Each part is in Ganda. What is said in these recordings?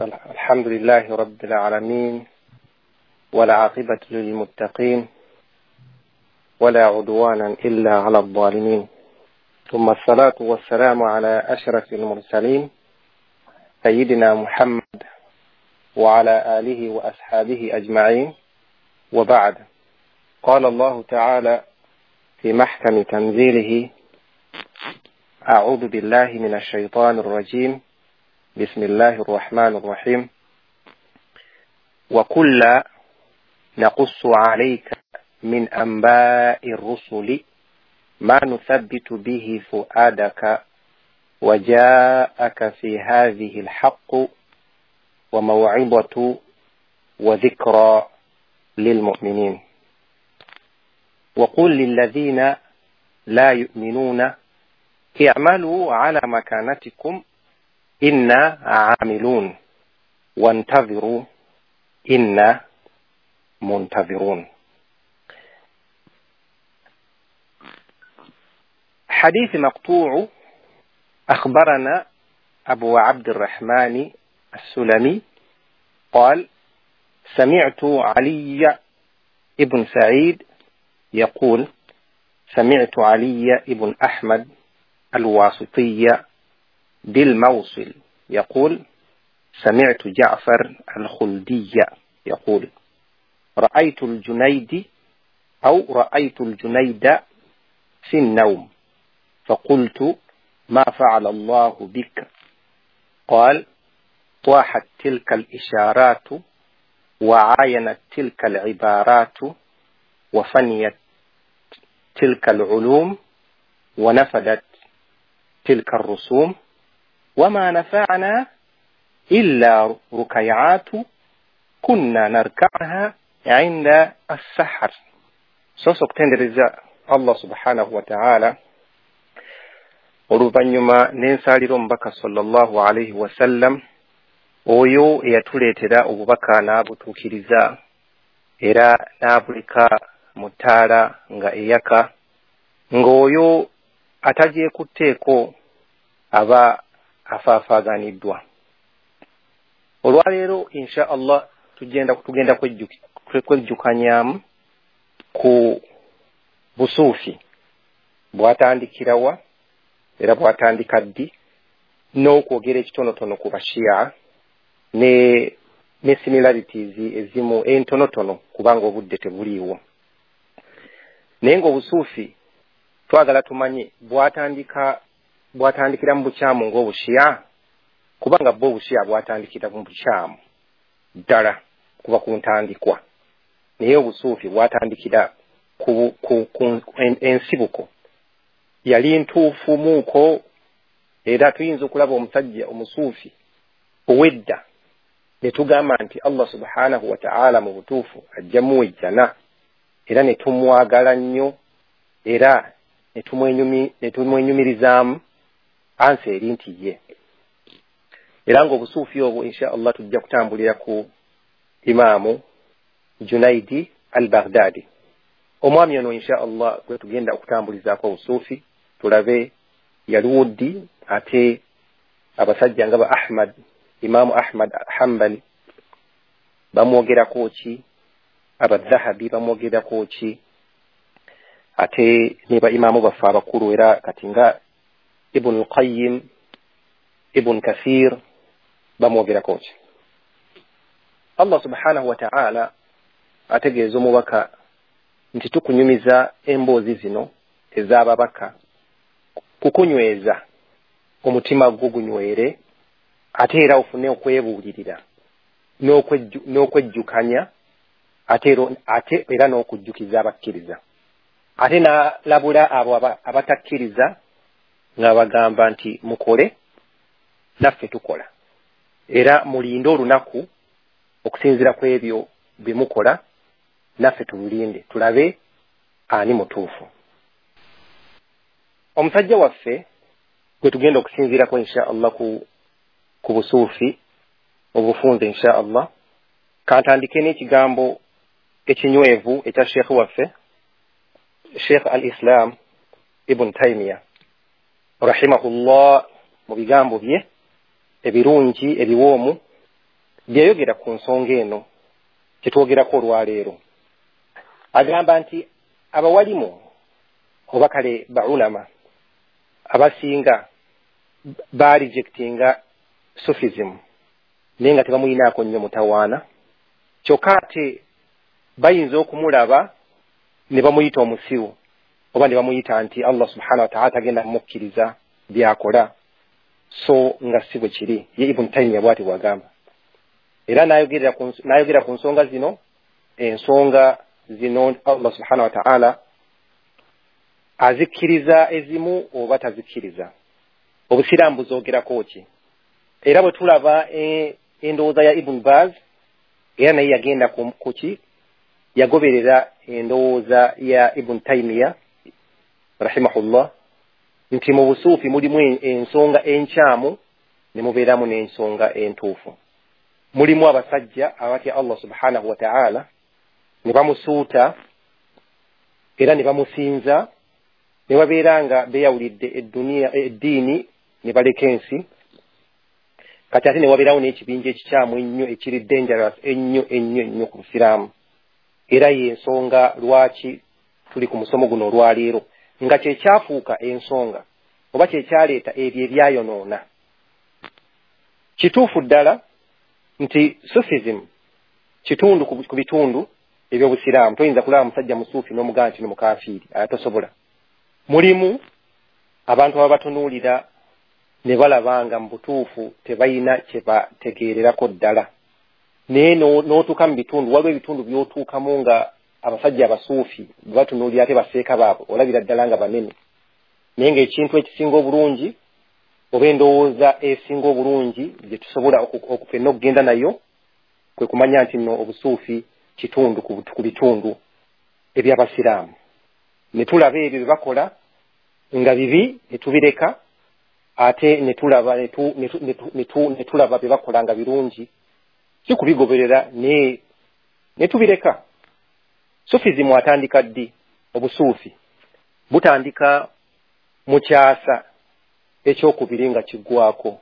الحمد لله رب العالمين والعاقبة للمتقين ولا عدوانا إلا على الظالمين ثم الصلاة والسلام على أشرف المرسلين سيدنا محمد وعلى آله وأصحابه أجمعين وبعد. قال الله تعالى في محكم تنزيله: أعوذ بالله من الشيطان الرجيم، بسم الله الرحمن الرحيم، وكلا نقص عليك من أنباء الرسل ما نثبت به فؤادك وجاءك في هذه الحق وموعظة وذكرى للمؤمنين. وقل للذين لا يؤمنون اعملوا على مكانتكم إنا عاملون وانتظروا إنا منتظرون. حديث مقطوع. أخبرنا أبو عبد الرحمن السلمي قال: سمعت علي ابن سعيد يقول: سمعت علي ابن أحمد الواسطي بالموصل يقول: سمعت جعفر الخلدي يقول: رأيت الجنيد أو رأيت الجنيد في النوم فقلت: ما فعل الله بك؟ قال: طاحت تلك الإشارات وعاينت تلك العبارات وفنيت تلك العلوم ونفدت تلك الرسوم وما نفعنا إلا ركيعات كنا نركعها عند السحر. Soso okutendereza Allah subhanahu wa ta'ala, oluvannyuma n'ensaalira omubaka sallallahu alaihi wasallam, oyo eyatuleetera obubaka n'abutuukiriza era n'abuleka mu ttaala nga eyaka, ng'oyo atagyekutteeko aba afaafaaganiddwa. Olwaleero insha Allah tugenda kwejjukanyaamu ku busuufi bwatandikirawa era bwatandika ddi, n'okwogera ekitonotono ku Bashia ne similarities ezimu entonotono kubanga obudde tebuliiwo. Naye ng'obusuufi twagala tumanye bwatandikira mu bukyamu ng'obushia, kubanga bwo obushia bwatandikira mu bukyamu ddala kuba ku ntandikwa, naye obusuufi bwatandikira ku ensibuko yali ntuufu muuko. Era tuyinza okulaba omusajja omusuufi owedda ne tugamba nti Allah subhanahu wa ta'ala mu butuufu ajja muwejjana, era ne tumwagala nnyo era ne tumwenyumirizaamu ansi eri nti ye. Era ng'obusuufi obwo insha Allah tujja kutambulira ku Imaamu Junaidi al-Baghdadi. Omwami ono insha Allah gwe tugenda okutambulizaako obusuufi, tulabe yaliwo ddi, ate abasajja nga ba Ahmad, Imaamu Ahmad Hanbali bamwogerako ki, Abadhahabi bamwogerako ki, ate ne ba imaamu baffe abakulu era kati nga Ibn Qayyim, Ibn Kathir bamwogerako ki. Allah subhanahu wa ta'ala ategeeza omubaka nti tukunyumiza emboozi zino ez'ababaka kukunyweza omutima gwo gunywere, ate era ofune okwebuulirira n'okwejjukanya, ate era n'okujjukiza abakkiriza, ate n'alabula abo abatakkiriza nga bagamba nti mukole naffe tukola, era mulinde olunaku okusinziira ku ebyo bye mukola naffe tululinde tulabe ani mutuufu. Omusajja waffe gwe tugenda okusinziirako insha Allah ku busuufi obufunze insha Allah, kantandike n'ekigambo ekinywevu ekya Sheikh waffe Sheikh al-Islam Ibn Taymiyyah rahimahullah, mu bigambo bye ebirungi ebiwoomu Byeyogera ku nsonga eno kyetwogerako olwaleero. Agamba nti abawalimu oba kale baulama abasinga barejectinga Sufism, naye nga tebamuyinaako nnyo mutawaana. Kyokka ate bayinza okumulaba ne bamuyita omusiru oba ne bamuyita nti Allah subhanahu wa ta'ala tagenda kumukkiriza by'akola, so nga si bwe kiri. Ye Ibn Taymiya bw'ati bw'agamba. Era n'ayogera ku nsonga zino, ensonga zino Allah subhanahu wa ta'ala azikkiriza ezimu oba tazikkiriza. Obusiraamu buzoogerako ki? Era bwe tulaba endowooza ya Ibn Baz, era naye yagenda kuki, yagoberera endowooza ya Ibn Taymiya rahimahullah nti mu busuufi mulimu ensonga enkyamu ne mubeeramu n'ensonga entuufu. Mulimu abasajja abatya Allah subhanahu wa ta'ala ne bamusuuta era ne bamusinza, ne babeera nga beeyawulidde eddiini ne baleka ensi. Kati ate ne wabeerawo n'ekibinja ekikyamu ennyo ekiri dangerous ennyo ennyo ennyo ku Busiraamu. Era y'ensonga lwaki tuli ku musomo guno olwaleero, nga kyekyafuuka ensonga oba kyekyaleeta ebyo ebyayonoona. Kituufu ddala nti Sufism kitundu ku bitundu eby'Obusiraamu. Toyinza kulaba musajja musuufi n'omugamba nti mukafiiri, tosobola. Mulimu abantu ababatunuulira ne balaba nga mu butuufu tebalina kye bategeererako ddala. Naye n'otuuka mu bitundu, waliwo ebitundu by'otuukamu nga abasajja abasuufi batunuulira ate baseeka baabwe, olabira ddala nga banene. Naye ng'ekintu ekisinga obulungi oba endowooza esinga obulungi gye tusobola ffenna okugenda nayo kwe kumanya nti nno obusuufi kitundu ku bitundu eby'Abasiraamu. Ne tulaba ebyo bye bakola nga bibi ne tubireka, ate ne tulaba bye bakola nga birungi, si kubigoberera ne tubireka. Sufism atandika ddi? Obusuufi butandika mu kyasa ekyokubiri nga kiggwako,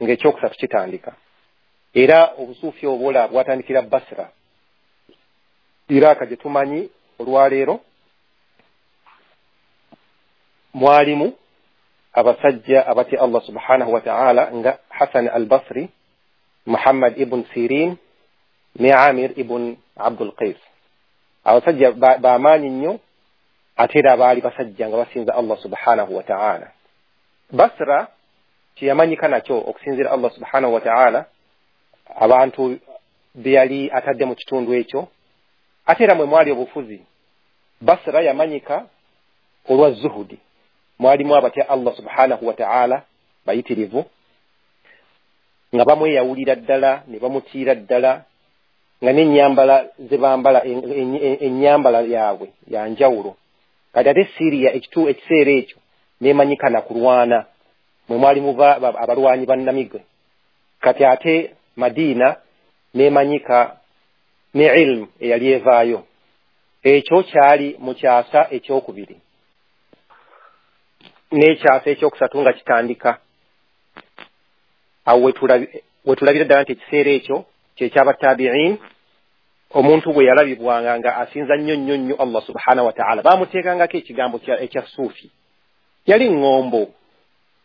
ng'ekyokusatu kitandika. Era obusuufi obwola bwatandikira Basra, Iraka gye tumanyi olwaleero. Mwalimu abasajja abatya Allah subhanahu wa ta'ala nga Hasan al-Basri, Muhammad ibn Sirin ne Amir ibn Abdul Qais. Abasajja bamaanyi nnyo, ate era baali basajja nga basinza Allah subhanahu wa ta'ala. Basra kyeyamanyika nakyo okusinziira Allah subhanahu wa ta'ala abantu be yali atadde mu kitundu ekyo, ate era mwe mwali obufuzi. Basra yamanyika olwa zuhudi, mwalimu abatya Allah subhanahu wa ta'ala bayitirivu, nga bamweyawulira ddala ne bamutiira ddala, nga n'ennyambala ze bambala, ennyambala yaabwe ya njawulo. Kati ate Syria ekiseera ekyo n'emanyika na kulwana, mwe mwalimu abalwanyi bannamigwe. Kati ate Madina n'emanyika ne ilmu eyali evaayo. Ekyo kyali mu kyasa ekyokubiri n'ekyasa ekyokusatu nga kitandika. Awo wetulabira ddala nti ekiseera ekyo kyekyabatabiin, omuntu bwe yalabibwanga nga asinza nnyo nnyo nnyo Allah subhanahu wa ta'ala, bamuteekangako ekigambo ekya suufi. Yali ŋŋombo,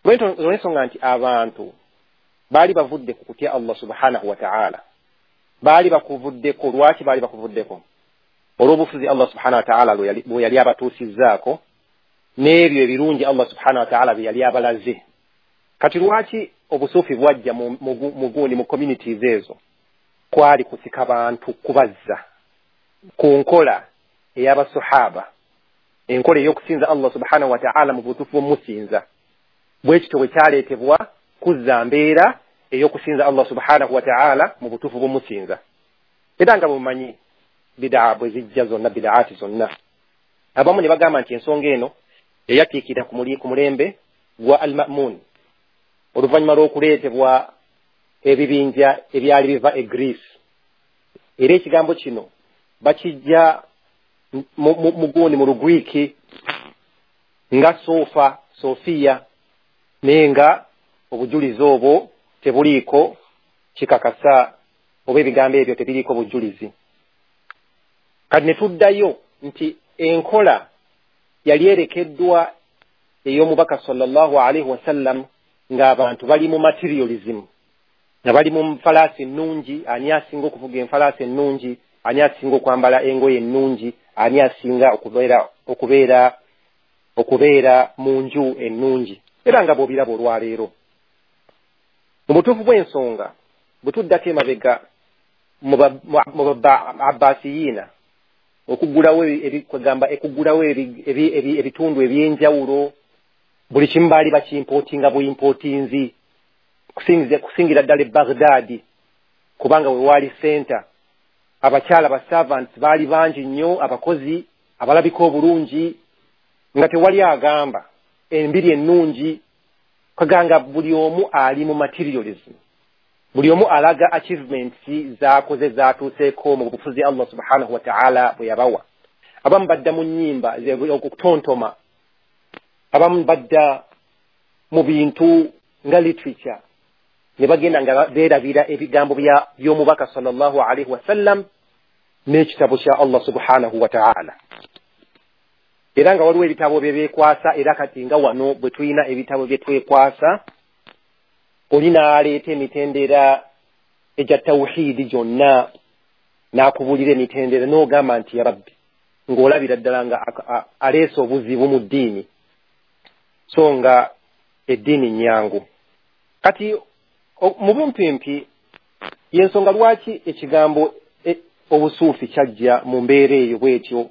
olw'ensonga nti abantu baali bavudde ku kutya Allah subhanahu wa ta'ala, baali bakuvuddeko. Lwaki baali bakuvuddeko? Olw'obufuzi Allah subhanahu wa ta'ala bwe yali abatuusizzaako, n'ebyo ebirungi Allah subhanahu wa ta'ala bye yali abalaze. Kati lwaki obusuufi bwajja mu gundi mu communities ezo? Kwali kusika bantu kubazza ku nkola ey'abasuhaba, enkola ey'okusinza Allah subhanahu wa ta'ala mu butuufu bw'omusinza. Bwe kityo bwe kyaleetebwa kuzza mbeera ey'okusinza Allah subhanahu wa ta'ala mu butuufu bw'omusinza. Era nga bwemumanyi bidaa bwe zijja zonna, bidaati zonna, abamu ne bagamba nti ensonga eno eyatiikira ku mulembe gwa Al-Ma'mun, oluvannyuma lw'okuleetebwa ebibinja ebyali biva e Greece. Era ekigambo kino bakijja mu gundi mu Lugriiki nga Sofa, Sofiya, naye nga obujulizi obwo tebuliiko kikakasa Oba ebigambo ebyo tebiriiko bujulizi. Kati ne tuddayo nti enkola yali erekeddwa ey'omubaka sallallahu alaihi wasallam ng'abantu bali mu materialism, nga bali mu nfalaasi ennungi, ani asinga okuvuga enfalaasi ennungi, ani asinga okwambala engoye ennungi, ani asinga okubeera mu nju ennungi, era nga bw'obiraba olwaleero. Mu butuufu bw'ensonga bwe tuddako emabega mu Abbasiyiina, okuggulawo ebitundu eby'enjawulo, buli kimu baali bakimpootinga buimpootinzi, kusingira ddala e Baghdad, kubanga we waali center. Abakyala ba servants baali bangi nnyo, abakozi abalabika obulungi, nga tewali agamba embiri ennungi, kaganga buli omu ali mu materialism, buli omu alaga achievements z'akoze z'atuuseeko mu bufuzi Allah subhanahu wa ta'ala bwe yabawa. Abamu badda mu nnyimba okutontoma, abamu badda mu bintu nga literature, ne bagenda nga beerabira ebigambo by'omubaka sallallahu alaihi wasallam n'ekitabo kya Allah subhanahu wa ta'ala. Era nga waliwo ebitabo bye beekwasa, era kati nga wano bwe tulina ebitabo bye twekwasa, oli n'aleeta emitendera egya tawhidi gyonna, n'akubuulira emitendera n'ogamba nti ya Rabbi, ng'olabira ddala nga aleese obuzibu mu ddiini, so nga eddiini nnyangu. Kati mu bumpimpi y'ensonga lwaki ekigambo obusuufi kyajja mu mbeera eyo bw'etyo,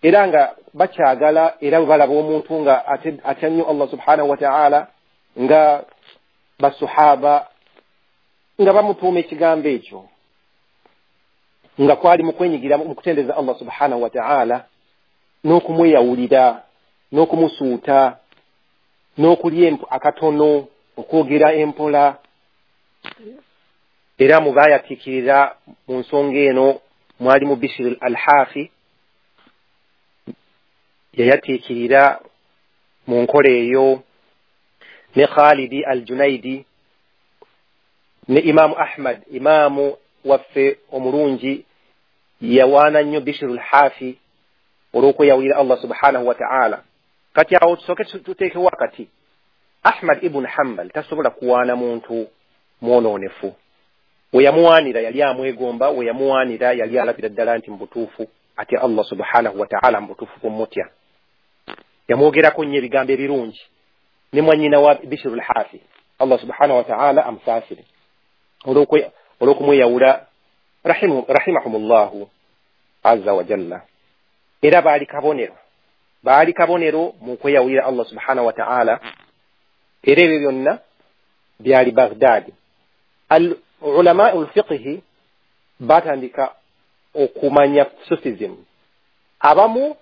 era nga bakyagala, era bwe balaba omuntu nga atya nnyo Allah subhanahu wa ta'ala, nga basuhaba nga bamutuuma ekigambo ekyo, nga kwali mu kwenyigira mu kutendereza Allah subhanahu wa ta'ala, n'okumweyawulira, n'okumusuuta, n'okulya akatono, okwogera empola. Era mu baayatiikirira mu nsonga eno mwali mu Bishir al-Hafi, yayatiikirira mu nkola eyo, ne Khalidi al-Junaidi, ne Imaamu Ahmad, imaamu waffe omulungi, yawaana nnyo Bishir al-Hafi olw'okweyawulira Allah subhanahu wa ta'ala. Kati awo tusooke tuteekewo akati, Ahmad ibn Hanbal tasobola kuwaana muntu mwonoonefu. We yamuwaanira yali amwegomba, we yamuwaanira yali alabira ddala nti mu butuufu atya Allah subhanahu wa ta'ala, mu butuufu kumutya. Yamwogerako nnyo ebigambo ebirungi ne mwannyina wa Bishir al-Hafi, Allah subhanahu wa ta'ala amusaasire olw'okumweyawula, rahimahumullahu azza wa jalla. Era baali kabonero mu kweyawulira Allah subhanahu wa ta'ala. Era ebyo byonna byali Baghdad. Al ulama al-fiqhi batandika okumanya Sufism. Abamu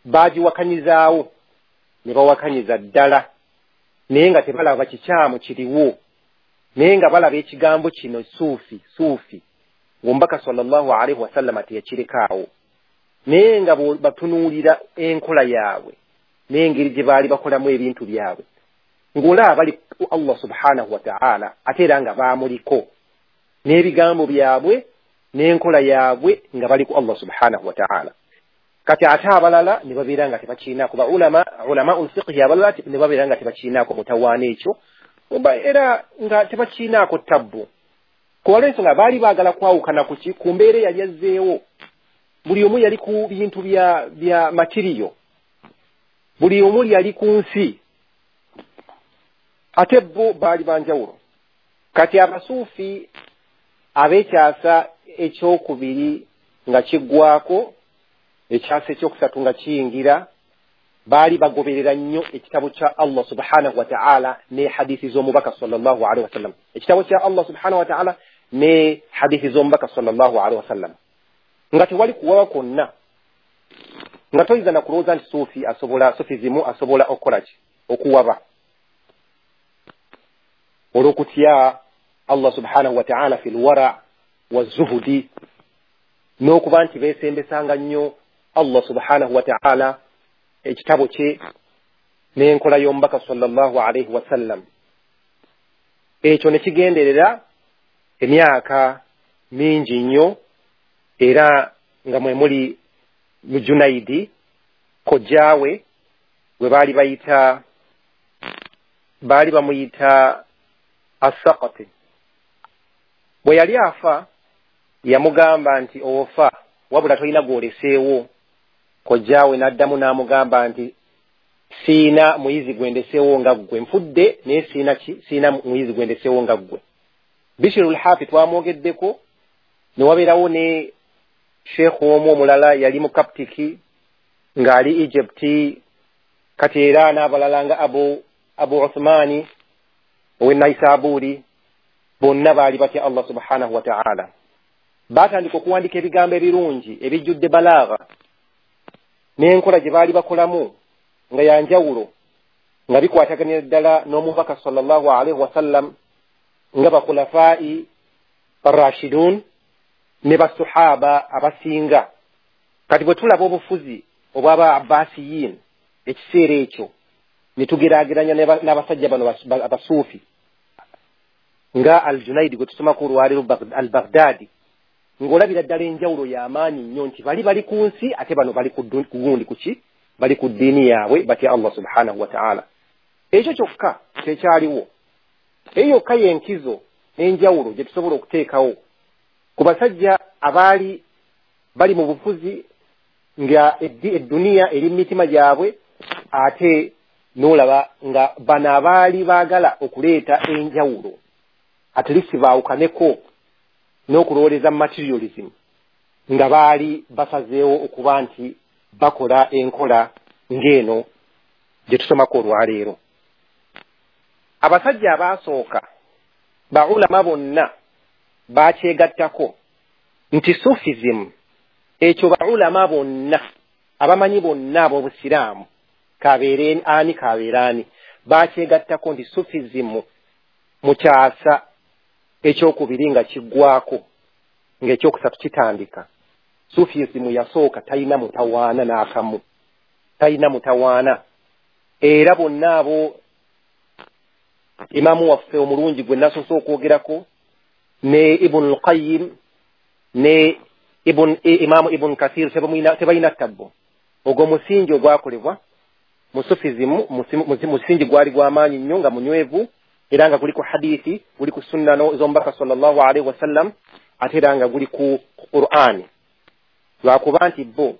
bagiwakanyizaawo ne bawakanyiza ddala, naye nga tebalaba kikyamu kiriwo, naye nga balaba ekigambo kino suufi suufi ng'omubaka sallallahu alaihi wasallam teyakirekaawo, naye nga batunuulira enkola yaabwe n'engeri gye baali bakolamu ebintu byabwe, ng'olaba bali ku Allah subhanahu wa ta'ala, ate era nga baamuliko n'ebigambo byabwe n'enkola yaabwe nga bali ku Allah subhanahu wa ta'ala. Kati ate abalala ne babeera nga tebakiinaako, ba ulama ul-fiqhi abalala ne babeera nga tebakiinaako mutawaana ekyo, era nga tebakiinaako tabbu. Kuba ensonga baali baagala kwawukana ku ki? Ku mbeera eyali azzeewo. Buli omu yali ku bintu bya matiriyo, buli omu yali ku nsi, ate bo baali banjawulo. Kati abasuufi ab'ekyasa ekyokubiri nga kiggwako, ekyasa ekyokusatu nga kiyingira, baali bagoberera nnyo ekitabo kya Allah subhanahu wa ta'ala ne hadithi z'omubaka sallallahu alaihi wasallam. Ekitabo kya Allah subhanahu wa ta'ala ne hadithi z'omubaka sallallahu alaihi wasallam, nga tewali kuwaba kwonna, nga toyinza na kulowooza nti suufi asobola, sufizimu asobola okukola ki, okuwaba, olw'okutya Allah subhanahu wa ta'ala fil wara wa zuhudi, n'okuba nti beesembesanga nnyo Allah subhanahu wa ta'ala, ekitabo kye n'enkola y'omubaka sallallahu alaihi wasallam. Ekyo ne kigenderera emyaka mingi nnyo, era nga mwe muli Junaidi kojjaawe gwe baali bayita, baali bamuyita Asakati. Bwe yali afa yamugamba nti ofa wabula tolina gw'oleseewo. Kojjaawe n'addamu n'amugamba nti siina muyizi gwendeseewo nga ggwe, nfudde naye siina muyizi gwendeseewo nga ggwe. Bishirul Hafi twamwogeddeko, ne wabeerawo ne sheekh omu omulala yali mu Kaptiki ng'ali Egypt, kati era n'abalala nga Abu Uthmani ow'e Naisaburi, bonna baali batya Allah subhanahu wa ta'ala. Baatandika okuwandiika ebigambo ebirungi ebijjudde balagha n'enkola gye baali bakolamu nga ya njawulo, nga bikwataganira ddala n'omubaka sallallahu alaihi wasallam, nga bakhulafai arrashidun ne basahaba abasinga. Kati bwe tulaba obufuzi obw'aba Abbasiyin ekiseera ekyo ne tugeraageranya n'abasajja bano abasuufi nga Al-Junaidi gwe tusomako olwaleero Al-Baghdadi, ng'olabira ddala enjawulo y'amaanyi nnyo nti bali bali ku nsi ate bano bali ku gundi kuki, bali ku ddiini yaabwe batya Allah subhanahu wa ta'ala. Ekyo kyokka tekyaliwo. Eyo yokka y'enkizo n'enjawulo gye tusobola okuteekawo ku basajja abaali bali mu bufuzi nga edduniya eri mu mitima gyabwe, ate n'olaba nga bano abaali baagala okuleeta enjawulo at least baawukaneko n'okulowooleza materialism, nga baali basazeewo okuba nti bakola enkola ng'eno gye tusomako olwaleero. Abasajja abaasooka baulama bonna bakyegattako nti Sufism, ekyo baulama bonna abamanyi bonna ab'obusiraamu kabeere ani kabeere ani, bakyegattako nti Sufism mu kyasa ekyokubiri nga kiggwako ng'ekyokusatu kitandika, Sufism yasooka talina mutawaana n'akamu, talina mutawaana. Era bonna abo imaamu waffe omulungi gwe nasoose okwogerako ne Ibn al-Qayyim ne Imaamu Ibn Kathir tebalina ttabbo. Ogwo musingi ogwakolebwa mu Sufism, musingi gwali gw'amaanyi nnyo nga munywevu, era nga guli ku hadithi, guli ku sunna z'omubaka sallallahu alaihi wasallam, ate era nga guli ku Qur'ani. Lwakuba nti bo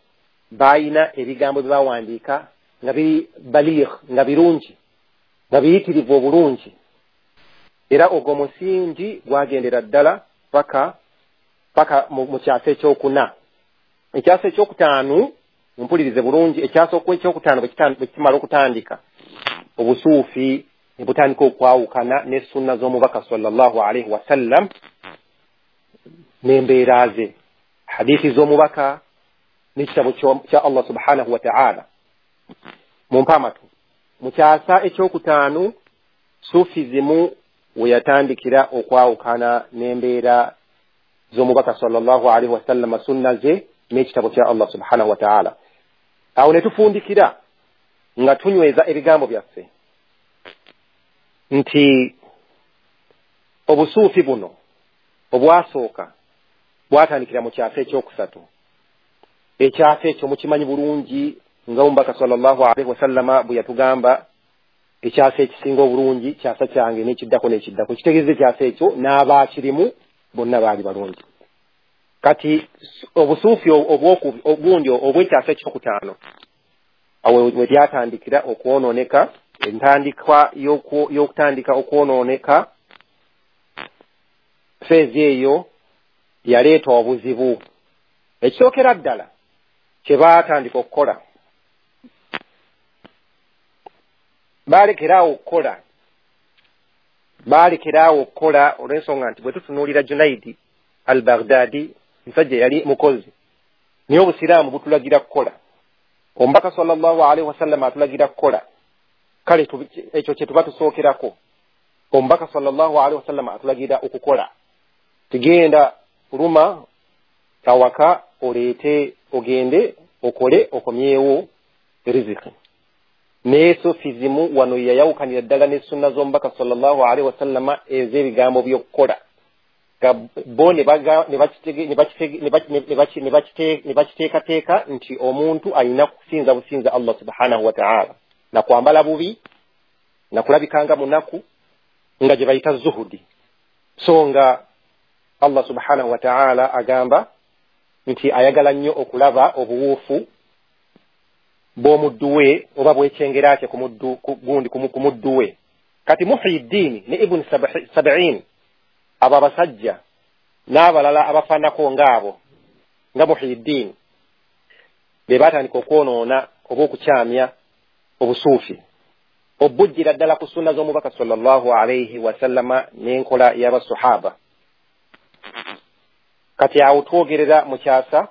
baayina ebigambo bye bawandiika nga biri baligh, nga birungi, nga biyitirivu obulungi. Era ogwo musingi gwagendera ddala paka mu kyasa ekyokuna. Ekyasa ekyokutaano, mumpulirize bulungi, ekyasa ekyokutaano bwe kimala okutandika, obusuufi ne butandika okwawukana ne sunna z'omubaka sallallahu alaihi wasallam n'embeera ze, hadithi z'omubaka n'ekitabo kya Allah subhanahu wa ta'ala. Mumpe amatu. Mu kyasa ekyokutaano Sufism we yatandikira okwawukana n'embeera z'omubaka sallallahu alaihi wasallam, sunna ze n'ekitabo kya Allah subhanahu wa ta'ala. Awo ne tufundikira nga tunyweza ebigambo byaffe nti obusuufi buno obwasooka bwatandikira mu kyasa ekyokusatu. Ekyasa ekyo mukimanyi bulungi nga omubaka sallallahu alaihi wasallama bwe yatugamba ekyasa ekisinga obulungi kyasa kyange n'ekiddako n'ekiddako. Kitegeeza ekyasa ekyo n'abaakirimu bonna baali balungi. Kati obusuufi obundi obw'ekyasa ekyokutaano awo we byatandikira okwonooneka, entandikwa y'okutandika okwonooneka, feezi eyo yaleeta obuzibu. Ekisookera ddala kye baatandika okukola, balekeraawo okukola olw'ensonga nti bwe tutunuulira Junaidi al-Baghdadi, musajja yali mukozi, naye obusiraamu butulagira kukola. Omubaka sallallahu alaihi wasallam atulagira kukola. Kale ekyo kye tuba tusookerako. Omubaka sallallahu alaihi wasallam atulagira okukola. Tugenda kuluma awaka oleete ogende okole okomyewo riziki. Naye Sufism wano yayawukanira ddala ne sunna z'omubaka sallallahu alaihi wasallama ez'ebigambo by'okukola. Nga bo ne bakiteekateeka nti omuntu alina kusinza businza Allah subhanahu wa ta'ala, na kwambala bubi, na kulabikanga munaku, nga gye bayita zuhudi. So nga Allah subhanahu wa ta'ala agamba nti ayagala nnyo okulaba obuwuufu bw'omuddu we oba bwekyengera kye ku muddu we. Kati Muhyiddin ne Ibn Sab'in, abo abasajja n'abalala abafaanako ng'abo nga Muhyiddin, be baatandika okwonoona oba okukyamya obusuufi obujjira ddala ku sunna z'omubaka sallallahu alayhi wasallama n'enkola y'abasahaba. Kati awo twogerera mu kyasa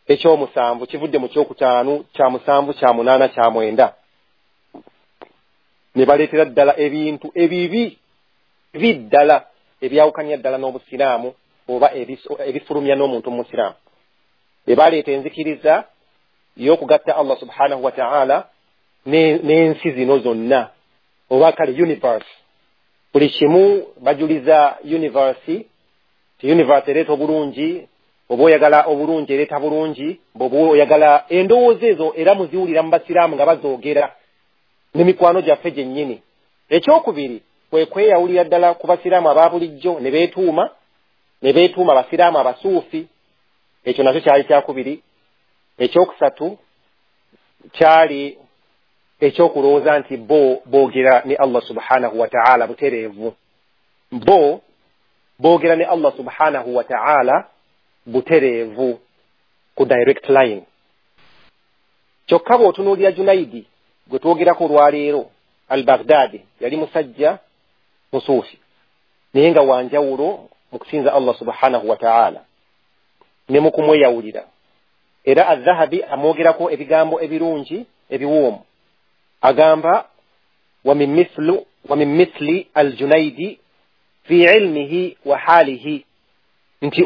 ekyomusanvu, kivudde mu kyokutaano, kya musanvu, kya munaana, kya mwenda, ne baleetera ddala ebintu ebibi biddala ebyawukanya ddala n'obusiraamu oba ebifulumya n'omuntu omusiraamu. Be baleeta enzikiriza y'okugatta Allah subhanahu wa ta'ala n'ensi zino zonna, oba kale universe. Buli kimu bajuliza universe, ti universe ereeta obulungi, oba oyagala obulungi ereeta bulungi, bw'oba oyagala endowooza ezo era muziwulira mu basiraamu nga bazoogera n'emikwano gyaffe gyennyini. Ekyokubiri kwe kweyawulira ddala ku basiraamu aba bulijjo ne beetuuma abasiraamu abasuufi. Ekyo nakyo kyali kyakubiri. Ekyokusatu kyali ekyokulowooza nti bo boogera ne Allah subhanahu wa ta'ala butereevu. Bo boogera ne Allah subhanahu wa ta'ala butereevu ku direct line. Kyokka bw'otunuulira Junaidi gwe twogerako olwaleero al-Baghdadi, yali musajja musuufi naye nga wanjawulo mu kusinza Allah subhanahu wa ta'ala ne mu kumweyawulira. Era Adh-Dhahabi amwogerako ebigambo ebirungi ebiwoomu, agamba wa min mithli al-Junaidi fi ilmihi wa halihi, nti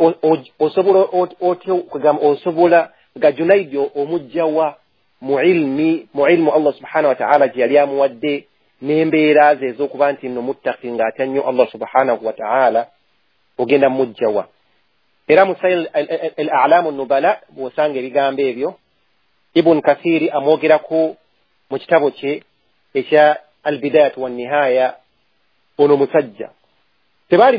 osobola otya kugamba osobola nga Junaidi omujjawa mu ilmu Allah subhanahu wa ta'ala gye yali amuwadde n'embeera ze ez'okuba nti nno muttaqi ng'atya nnyo Allah subhanahu wa ta'ala, ogenda mujjawa. Era mu Sayl al-A'lam an-Nubala bw'osanga ebigambo ebyo, Ibn Kathiri amwogerako mu kitabo kye ekya Al-Bidayatu wan-Nihaya. Ono musajja tebaali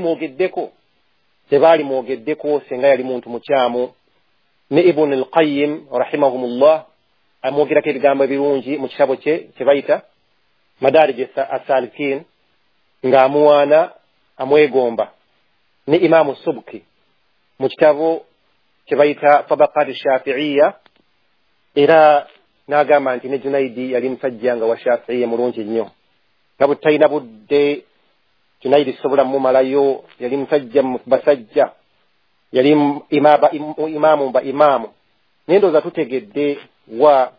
mwogeddeko singa yali muntu mukyamu. Ne Ibn al-Qayyim rahimahumullah amwogerako ebigambo ebirungi mu kitabo kye kye bayita Madarij as-Salikin, ng'amuwaana amwegomba. Ne Imamu Subki mu kitabo kye bayita Tabaqat Shafi'iyya, era n'agamba nti ne Junaidi yali musajja nga wa Shafi'iyya mulungi nnyo, nga bwe talina budde Junaidi sobola mumalayo, yali musajja basajja, yali imaamu ba imaamu. Naye ndowooza tutegedde wa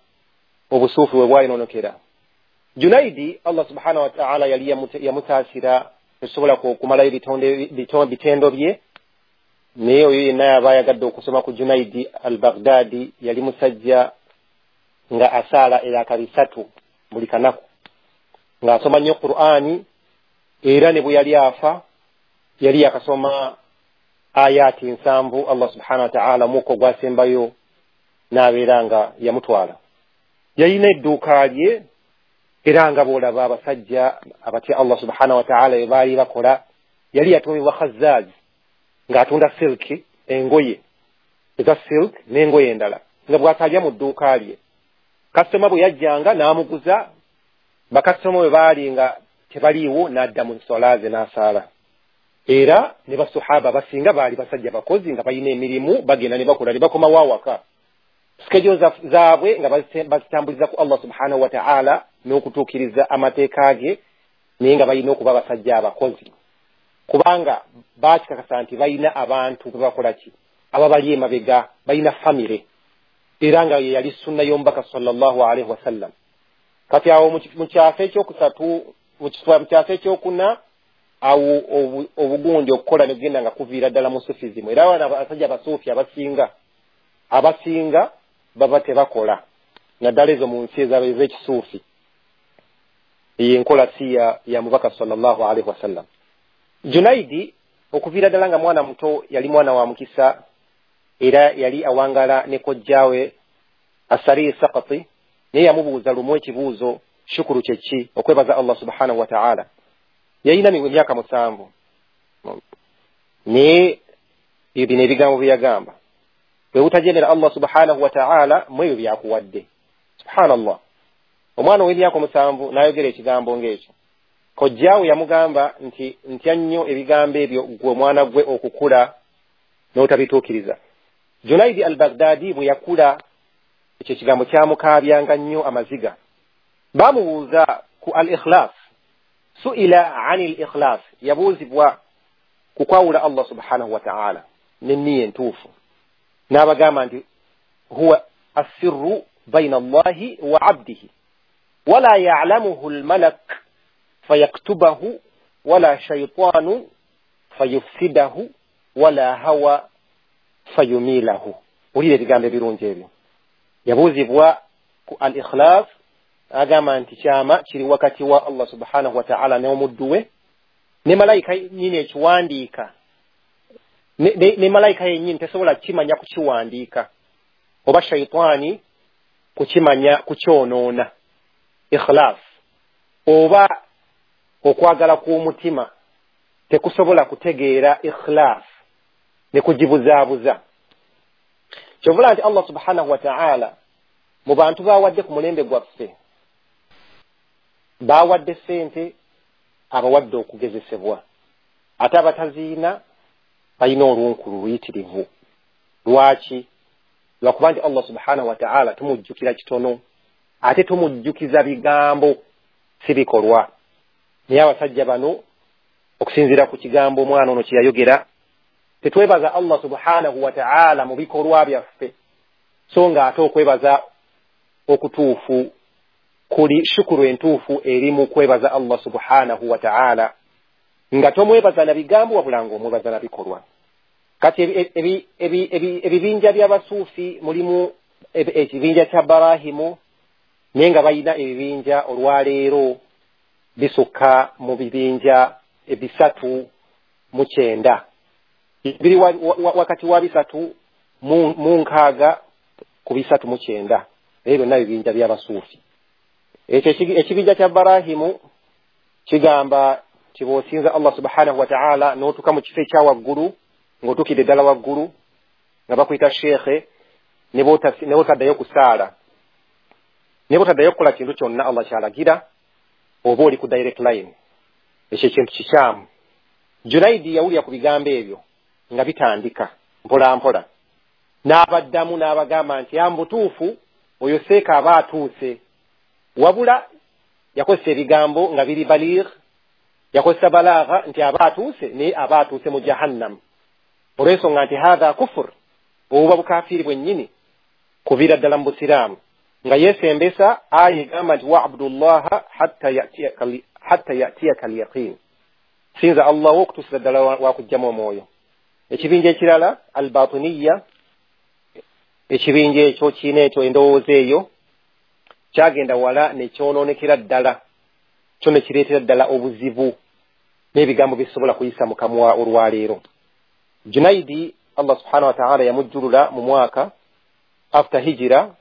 obusuufi we bwayinoonokera. Junaidi Allah subhanahu wa ta'ala yali yamutaasira, tesobola kumalayo bitendo bye. Naye oyo yenna yaba ayagadde okusoma ku Junaidi al-Baghdadi, yali musajja nga asaala eraka 3 buli kanaku, ng'asoma nnyo Qur'ani, era ne bwe yali afa yali yakasoma ayati 7 Allah subhanahu wa ta'ala mukko gwasembayo n'abeera nga yamutwala. Yalina edduuka lye, era nga bw'olaba abasajja abatya Allah subhanahu wa ta'ala bye baali bakola. Yali yatuumibwa Khazzaz, ng'atunda silki, engoye eza silk n'engoye endala, nga bw'atalya mu dduuka lye. Kasitoma bwe yajjanga n'amuguza, bakasitoma bwe baali nga tebaliiwo n'adda mu nswala ze n'asaala. Era ne basahaba basinga baali basajja bakozi nga balina emirimu, bagenda ne bakola ne bakomawo awaka. Sikejo zaabwe nga bazitambuliza ku Allah subhanahu wa ta'ala n'okutuukiriza amateeka ge, naye nga balina okuba abasajja abakozi, kubanga baakikakasa nti balina abantu be bakola ki, ababali emabega, balina famire, era nga ye yali sunna y'omubaka sallallahu alaihi wasallam. Kati awo mu kyasa ekyokusatu, mu kyasa ekyokuna, awo obugundi okukola ne kugenda nga kuviira ddala mu sufizimu. Era abaana abasajja abasuufi abasinga baba tebakola, naddala ezo mu nsi ez'ekisuufi. Eyo enkola si ya mubaka sallallahu alaihi wasallam. Junaidi Okuviira ddala nga mwana muto yali mwana wa mukisa, era yali awangala ne kojjaawe Asari Sakati, naye yamubuuza lumu ekibuuzo, shukuru kye ki? Okwebaza Allah subhanahu wa ta'ala. Yalina emyaka 7, naye bino ebigambo bye yagamba, bwe butajeemera Allah subhanahu wa ta'ala mu ebyo byakuwadde. Subhanallah, omwana ow'emyaka 7 n'ayogera ekigambo ng'ekyo. Kojjaawe yamugamba nti ntya nnyo ebigambo ebyo gwe omwana gwe okukula n'otabituukiriza. Junaidi al-Baghdadi bwe yakula ekyo ekigambo kyamukaabyanga nnyo amaziga. Bamubuuza ku al-ikhlas, suila ani al-ikhlas, yabuuzibwa ku kwawula Allah subhanahu wa ta'ala n'enniya entuufu, n'abagamba nti huwa assirru bayna Allahi wa abdihi wala ya'lamuhu al-malak fayaktubahu wala shaytanu fayufsidahu wala hawa fayumilahu. Wulira ebigambo ebirungi ebyo. Yabuuzibwa ku al-ikhlas, agamba nti kyama kiri wakati wa Allah subhanahu wa ta'ala n'omuddu we, ne malayika yennyini ekiwandiika, ne malayika yennyini tesobola kukimanya kukiwandiika, oba shayitaani kukimanya kukyonoona. Ikhlas oba okwagala kw'omutima tekusobola kutegeera ikhlas ne kugibuzaabuza. Kyovula nti Allah subhanahu wa ta'ala mu bantu bawadde ku mulembe gwaffe, bawadde ssente, abawadde okugezesebwa, ate abataziina balina olunkulu luyitirivu. Lwaki? Lwakuba nti Allah subhanahu wa ta'ala tumujjukira kitono, ate tumujjukiza bigambo si bikolwa. Naye abasajja bano okusinziira ku kigambo omwana ono kye yayogera, tetwebaza Allah subhanahu wa ta'ala mu bikolwa byaffe, so nga ate okwebaza okutuufu kuli shukuru entuufu eri mu kwebaza Allah subhanahu wa ta'ala, nga tomwebaza na bigambo wabula ng'omwebaza na bikolwa. Kati ebibinja by'abasuufi mulimu ekibinja kya Barahimu, naye nga balina ebibinja olwaleero bisukka mu bibinja 390, biri wakati wa 360 ku 390. Ebyo byonna bibinja by'abasuufi. Ekyo ekibinja kya Barahimu kigamba kiboosinza Allah subhanahu wa ta'ala n'otuuka mu kifo ekya waggulu, ng'otuukidde ddala waggulu nga bakuyita sheekhe, ne bw'otaddayo kusaala, ne bw'otaddayo kukola kintu kyonna Allah ky'alagira, oba oli ku direct line. Ekyo ekintu kikyamu. Junaidi yawulira ku bigambo ebyo nga bitandika mpola mpola, n'abaddamu n'abagamba nti ambutuufu oyo seeka aba atuuse. Wabula yakozesa ebigambo nga biri baligh, yakozesa balagha nti aba atuuse, naye aba atuuse mu jahannam, olw'ensonga nti hatha kufur, obuba bukafiiri bwennyini kuviira ddala mu busiraamu. Nga yeesembesa aya egamba nti wa'budullaha hatta ya'tiyaka al-yaqin, sinza Allah wo okutuusiza ddala wakugjamu omwoyo. Ekibinja ekirala al-batiniya, ekibinja ekyo kiina ekyo endowooza eyo kyagenda wala ne kyonoonekera ddala, kyo ne kireetera ddala obuzibu n'ebigambo bisobola kuyisa mu kamwa olwaleero. Junaidi Allah subhanahu wa ta'ala yamujjulula mu mwaka after hijira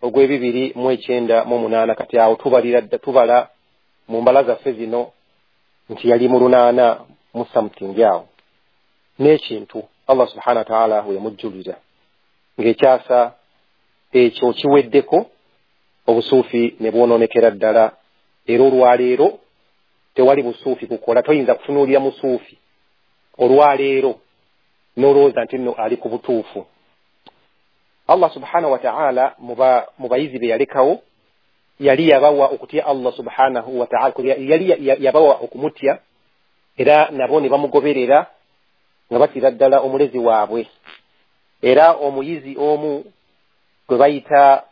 ogw'2098. Kati awo tubala mu mbala zaffe zino nti yali mu 8 mu something awo n'ekintu Allah subhanahu wa ta'ala we yamujjulira ng'ekyasa ekyo kiweddeko, obusuufi ne bwonoonekera ddala. Era olwaleero tewali busuufi kukola, toyinza kutunuulira musuufi olwaleero n'olowooza nti nno ali ku butuufu. Allah subhanahu wa ta'ala mu bayizi be yalekawo yali yabawa okutya Allah subhanahu wa ta'ala, yali yabawa okumutya, era nabo ne bamugoberera nga batira ddala omulezi waabwe. Era omuyizi omu gwe bayita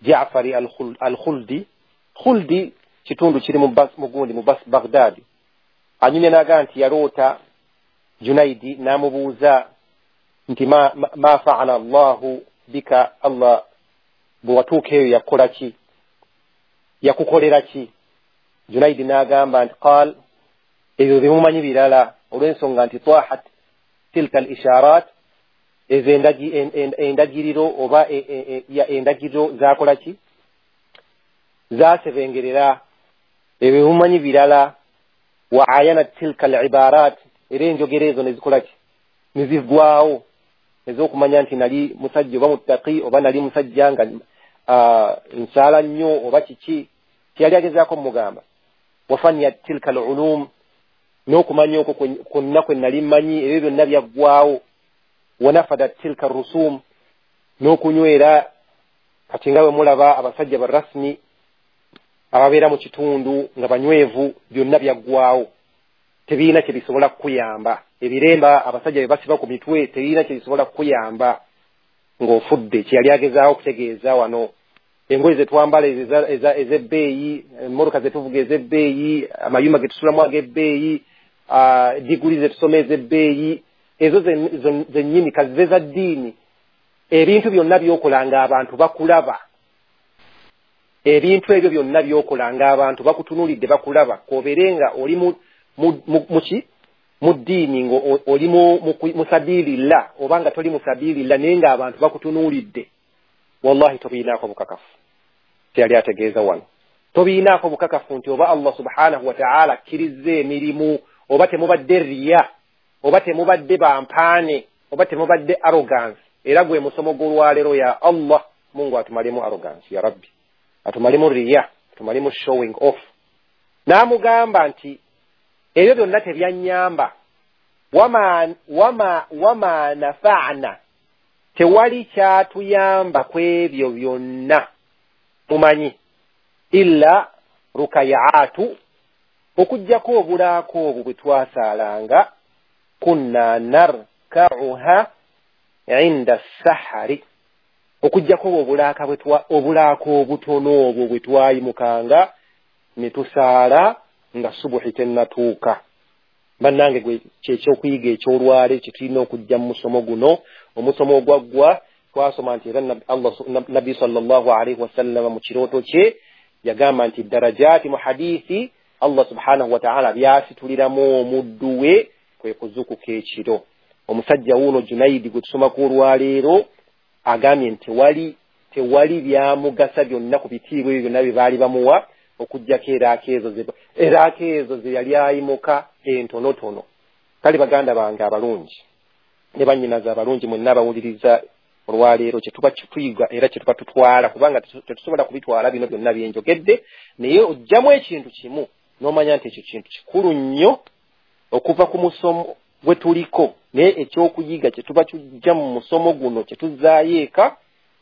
Ja'fari al-Khuldi, Khuldi kitundu kiri mu gundi mu Baghdad, anyumya n'agamba nti yaloota Junaidi n'amubuuza nti ma fa'ala Allahu bika, Allah bwe watuuka eyo yakukola ki, yakukolera ki? Junaidi n'agamba nti qaal, ebyo bimumanyi birala, Olw'ensonga nti tahat tilka al isharat, ezo endagiriro oba endagiriro zakola ki, zasebengerera ebimumanyi birala. Wa ayana tilka al ibarat, era enjogera ezo nezikola ki, nezigwawo, ez'okumanya nti nali musajja oba muttaqi oba nali musajja nga nsaala nnyo oba kiki. Kyeyali agezaako mugamba wafanya tilka al ulum, n'okumanya okwo kwonna kwe nali mmanyi ebyo byonna byaggwawo. Wanafada tilka rusum, n'okunywera. Kati nga bwe mulaba abasajja ba rasmi ababeera mu kitundu nga banywevu, byonna byaggwawo, tebirina kye bisobola kukuyamba. Ebiremba abasajja bye basiba ku mitwe tebirina kye bisobola kukuyamba ng'ofudde. Kyeyali agezaawo okutegeeza wano, engoye ze twambala ez'ebbeeyi, emmotoka ze tuvuga ez'ebbeeyi, amayumba ge tusulamu ag'ebbeeyi, diguli ze tusoma ez'ebbeeyi, ezo zennyini kazibe za ddiini. Ebintu byonna by'okola ng'abantu bakulaba, ebintu ebyo byonna by'okola ng'abantu bakutunuulidde bakulaba, k'obeere nga oli muki mu ddiini, ng'oli musabilillah oba nga toli musabilillah, naye ng'abantu bakutunuulidde, wallahi tobiinaako bukakafu. Kyeyali ategeeza wano, tobiinaako bukakafu nti oba Allah subhanahu wa ta'ala akkiriza emirimu, oba temubadde riya, oba temubadde bampaane, oba temubadde arrogance. Era gwe musomo gw'olwaleero, ya Allah Mungu atumalemu arrogance, ya Rabbi atumalemu riya, atumalemu showing off. N'amugamba nti ebyo byonna tebyannyamba, wama nafa'na, tewali kyatuyamba ku ebyo byonna mumanyi, illa rukayaatu, okuggyako obulaako obwo bwe twasaalanga, kunna narka'uha inda sahari, okuggyako obulaako obutono obwo bwe twayimukanga ne tusaala nga subuhi tennatuuka. Bannange gwe kyekyokuyiga eky'olwaleero kye tulina okujja mu musomo guno. Omusomo ogwaggwa twasoma nti era Nabbi sallallahu alaihi wasallama mu kirooto kye yagamba nti darajaati mu hadithi Allah subhanahu wa ta'ala byasituliramu omuddu we kwe kuzuukuka ekiro. Omusajja wuuno Junaidi gwe tusomako olwaleero agambye nti tewali byamugasa byonna ku bitiibwa ebyo byonna bye baali bamuwa, okuggyako eraako ezo ze yali ayimuka entonotono. Kale baganda bange abalungi ne bannyinaze abalungi mwenna abawuliriza olwaleero, kye tuba tuyiga era kye tuba tutwala, kubanga tetusobola kubitwala bino byonna byenjogedde, naye ojjamu ekintu kimu n'omanya nti ekyo kintu kikulu nnyo okuva ku musomo gwe tuliko, naye ekyokuyiga kye tuba tujja mu musomo guno kye tuzzaayo eka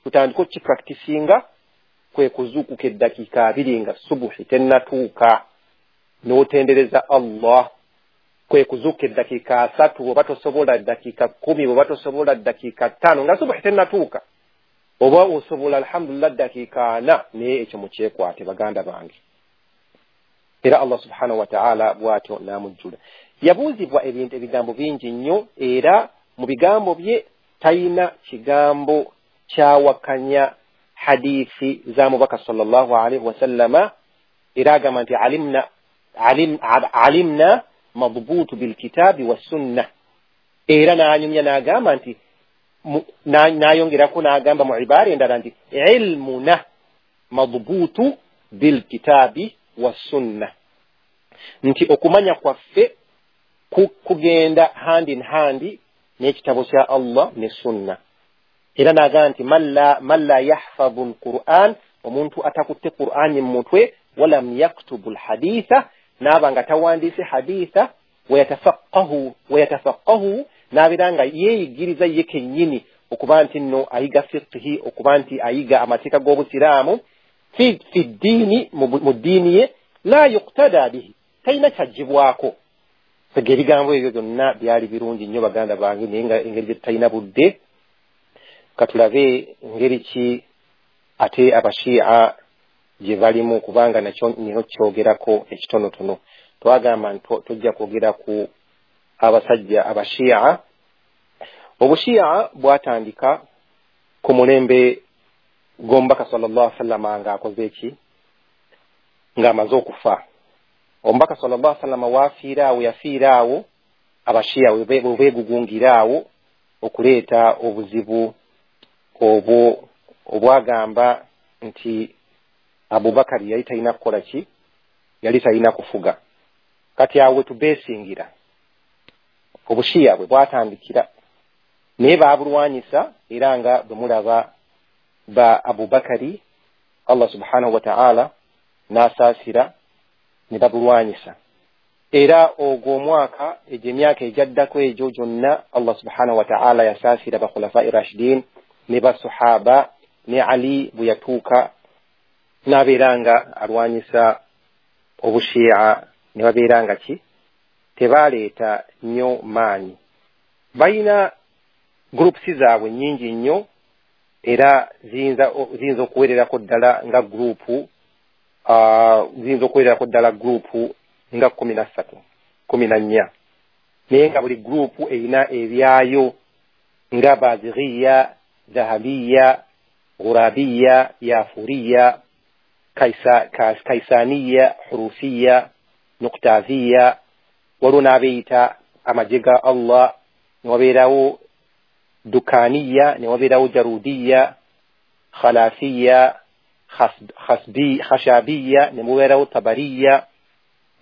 tutandike okukipracticinga, kwe kuzuukuka eddakiika 20 nga subuhi tennatuuka n'otendereza Allah. Kwe kuzuukuka eddakiika 3 oba tosobola eddakiika 10 oba tosobola eddakiika 5 nga subuhi tennatuuka, oba osobola alhamdulillah eddakiika 4, naye ekyo mukyekwate baganda bange. Era Allah subhanahu wa ta'ala bw'atyo n'amujjula. Yabuuzibwa ebintu ebigambo bingi nnyo, era mu bigambo bye talina kigambo kyawakanya hadithi za mubaka sallallahu alaihi wasallama. Era agamba nti alimna madbutu bilkitabi wassunna. Era n'anyumya n'agamba nti n'ayongerako n'agamba mu ibaara endala nti ilmuna madbutu bilkitabi wassunna, nti okumanya kwaffe kugenda hand in hand n'ekitabo kya Allah ne sunna. Era n'agamba nti man la yahfadhu al-Qur'an, omuntu atakutte Qur'ani mu mutwe, walam yaktubu al-haditha, n'aba nga tawandiise haditha, wayatafaqahu, n'abeera nga yeeyigiriza ye kennyini okuba nti nno ayiga fiqhi, okuba nti ayiga amateeka g'obusiraamu, fi ddiini, mu ddiini ye, la yuqtada bihi, talina kyaggyibwako. Sega ebigambo ebyo byonna byali birungi nnyo baganda bange, naye nga engeri gye tutalina budde, katulabe ngeri ki ate abashia gye balimu, kubanga nakyo nina okukyogerako ekitonotono. Twagamba nti tujja kwogera ku abasajja abashia. Obushia bwatandika ku mulembe gw'omubaka sallallahu alaihi wasallam ng'akoze ki, ng'amaze okufa. Omubaka sallallahu alaihi wasallam waafiira awo, yafiira awo, Abashiya webeegugungira awo okuleeta obuzibu obwo obwagamba nti Abubakari yali talina kukola ki, yali talina kufuga. Kati awo wetubeesingira Obushiya bwe bwatandikira, naye baabulwanyisa, era nga bwe mulaba ba Abubakari Allah subhanahu wa ta'ala n'asaasira ne babulwanyisa. Era ogwo omwaka, egyo emyaka egyaddako egyo gyonna, Allah subhanahu wa ta'ala yasaasira bakhulafai rashidin ne basahaba, ne Ali bwe yatuuka n'abeera nga alwanyisa Obushiya, ne babeera nga ki tebaleeta nnyo maanyi. Balina groups zaabwe nnyingi nnyo, era ziyinza okuwererako ddala nga group, ziyinza okuwererako ddala group nga 13, 14, naye nga buli group erina ebyayo nga Bazighiya, Dhahabiya, Ghurabiya, Yafuriya, Kaisaniya, Hurufiya, Nuktaziya. Waliwo n'abeeyita amagye ga Allah, ne wabeerawo Dukaniya, ne wabeerawo Jarudiya, Khalafiya, Khashabiya, ne mubeerawo Tabariya,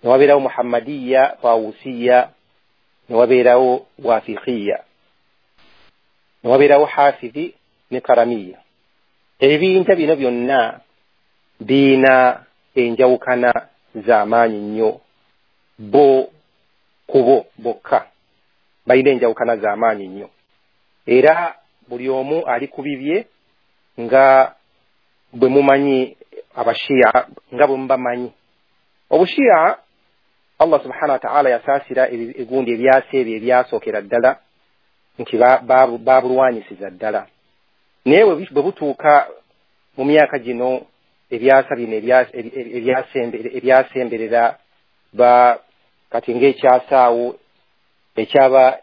ne wabeerawo Muhammadiya, Tawusiya, ne wabeerawo Wafiqiya, ne wabeerawo Hafidhi ne Karamiya. Ebibinja bino byonna biina enjawukana z'amaanyi nnyo. Bo kubo bokka balina enjawukana z'amaanyi nnyo, era buli omu ali ku bibye nga bwe mumanyi Abashiya, nga bwe mubamanyi Obushiya. Allah subhanahu wa ta'ala yasaasira egundi ebyasa ebyo ebyasookera ddala nti babulwanyisiza ddala, naye bwe butuuka mu myaka gino ebyasa bino ebyasemberera ba kati ng'ekyasaawo ekyaba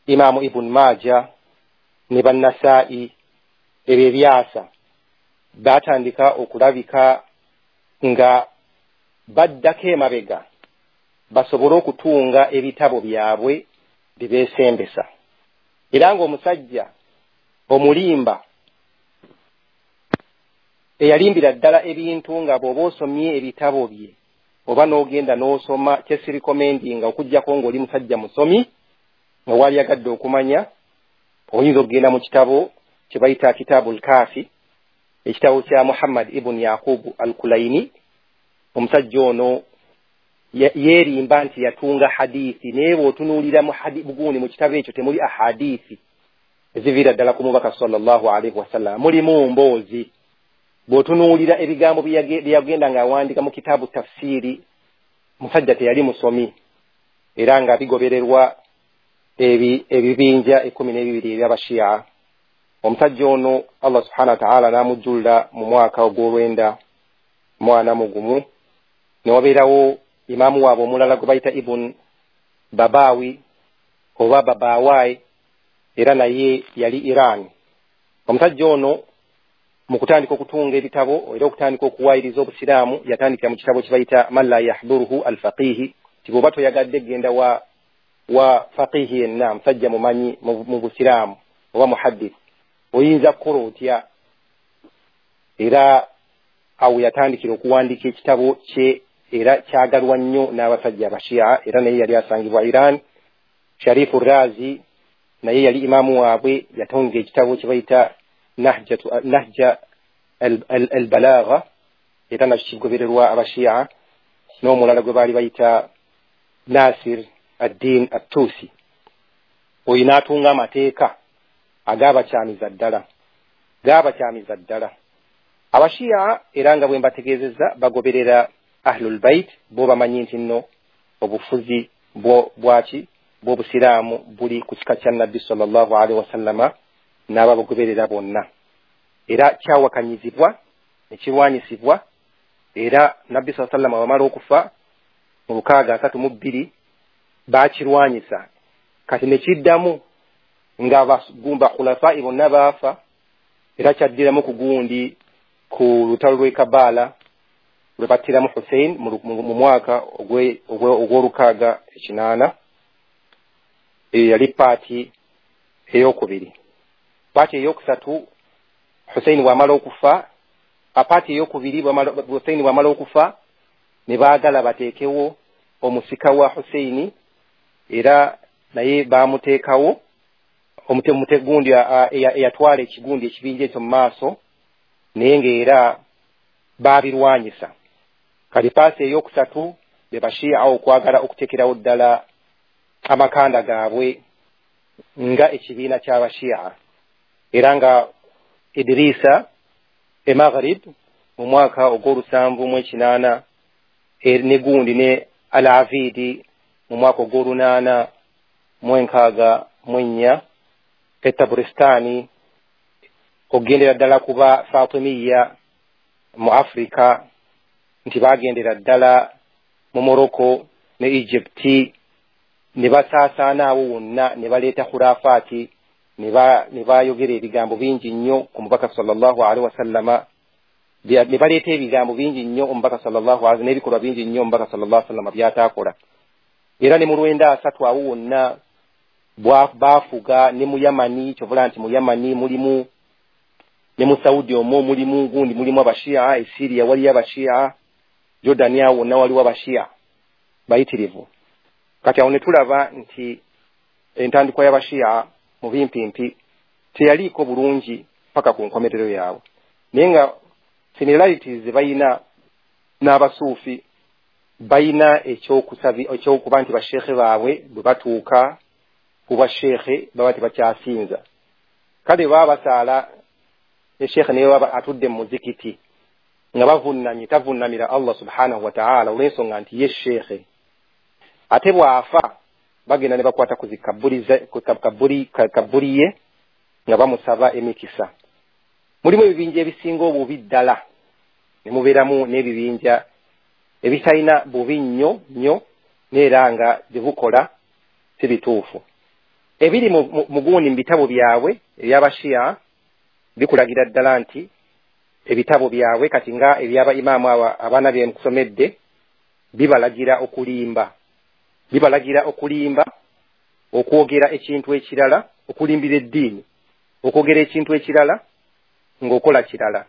Imaamu Ibn Maja ne Bannasaa'i, ebyo ebyasa batandika okulabika nga baddako emabega basobole okutunga ebitabo byabwe bibeesembesa. Era ng'omusajja omulimba eyalimbira ddala ebintu, nga bw'oba osomye ebitabo bye oba n'ogenda n'osoma, kyesirikomendinga okuggyako ng'oli musajja musomi nga waliyagadde okumanya, oyinza okugenda mu kitabo kye bayita Kitabu Lkafi, ekitabo kya Muhammad ibn Yaqubu al-Kulaini. Omusajja ono yeerimba nti yatunga hadithi, naye bw'otunuulira bugundi mu kitabo ekyo temuli ahadithi eziviira ddala ku mubaka sallallahu alaihi wasallam, mulimu mboozi. Bw'otunuulira ebigambo bye yagenda ng'awandiika mu kitabu tafsiri, musajja teyali musomi, era nga bigobererwa ebibinja 12 eby'Abashiya. Omusajja ono Allah subhanahu wa ta'ala n'amujjulula mu mwaka ogw'olwenda mwana mugumu. Ne wabeerawo imaamu waabwe omulala gwe bayita Ibn Babawi oba Babawai, era naye yali Iran. Omusajja ono mu kutandika okutunga ebitabo era okutandika okuwaayiriza Obusiraamu, yatandikira mu kitabo kye bayita Man la yahduruhu alfaqihi, ti bw'oba toyagadde genda wa faqihi yenna, musajja mumanyi mu Busiraamu oba muhaddith, oyinza kukola otya? Era awo yatandikira okuwandiika ekitabo kye, era kyagalwa nnyo n'abasajja Abashiya, era naye yali asangibwa Iran. Sharifu Razi naye yali imaamu waabwe, yatonga ekitabo kye bayita Nahja al-Balagha, era nakyo kigobererwa Abashiya. N'omulala gwe baali bayita Nasir ad-Din at-Tusi, oyo n'atunga amateeka agaabakyamiza ddala, gaabakyamiza ddala Abashiya. Era nga bwe mbategeezezza, bagoberera Ahlul Bait, bo bamanyi nti nno obufuzi bwaki bw'Obusiraamu buli ku kika kya Nabbi sallallahu alaihi wasallama n'ababagoberera bonna. Era kyawakanyizibwa ne kirwanyisibwa, era Nabbi sallallahu alaihi wasallama wamala okufa mu 632 baakirwanyisa. Kati ne kiddamu nga bakhulafai bonna baafa, era kyaddiramu ku gundi ku lutalo lw'e Kabaala lwe battiramu Hussein mu mwaka ogw'olukaaga ekinana. Eyo yali paati eyokubiri. Paati eyokusatu, Huseini bw'amala okufa, apaati eyokubiri Huseini bw'amala okufa, ne baagala bateekewo omusika wa Huseini, era naye baamuteekawo omutegundi eyatwala ekigundi ekibinja ekyo mu maaso, naye ng'era baabirwanyisa. Kati paasi eyokusatu be Bashia okwagala okuteekerawo ddala amakanda gaabwe nga ekibiina ky'Abashia, era nga Idrisa e Maghrib mu mwaka ogw'olusanvu mu 80, ne gundi ne Al-Avidi mu mwaka ogw'olunaana mu 64 e Taburistani, okugendera ddala kuba Fatimiya mu Afrika, nti bagendera ddala mu Morocco ne Egypt, ne basaasaana awo wonna, ne baleeta khurafaati, ne bayogera ebigambo bingi nnyo ku mubaka sallallahu alaihi wasallama, ne baleeta ebigambo bingi nnyo omubaka sallallahu alaihi, n'ebikolwa bingi nnyo omubaka sallallahu alaihi wasallama byataakola. Era ne mu 930 awo wonna baafuga, ne mu Yamani. Kyovula nti mu Yamani mulimu, ne mu Saudi omwo mulimu gundi, mulimu Abashia. E Siria waliyo Abashia, Jordan awo wonna waliwo Abashia bayitirivu. Kati awo ne tulaba nti entandikwa y'Abashia mu bimpimpi teyaliiko bulungi paka ku nkomerero yaabwe, naye nga similarities ze bayina n'Abasuufi, bayina ekyokuba nti basheekhe baabwe bwe batuuka ku bwasheekhe baba tebakyasinza. Kale baba basaala ne sheekhe, naye baba atudde mu muzikiti nga bavunnamye, tavunnamira Allah subhanahu wataala, olw'ensonga nti ye sheekhe. Ate bw'afa bagenda ne bakwata ku zikabbuli ye nga bamusaba emikisa. Mulimu ebibinja ebisinga obubi ddala, ne mubeeramu n'ebibinja ebitalina bubi nnyo nnyo, neera nga bye bukola si bituufu. Ebiri mu gundi mu bitabo byabwe eby'Abashiya bikulagira ddala nti ebitabo byabwe kati nga ebyaba imaamu abo abaana bye nkusomedde bibalagira okulimba, bibalagira okulimba, okwogera ekintu ekirala, okulimbira eddiini, okwogera ekintu ekirala ng'okola kirala.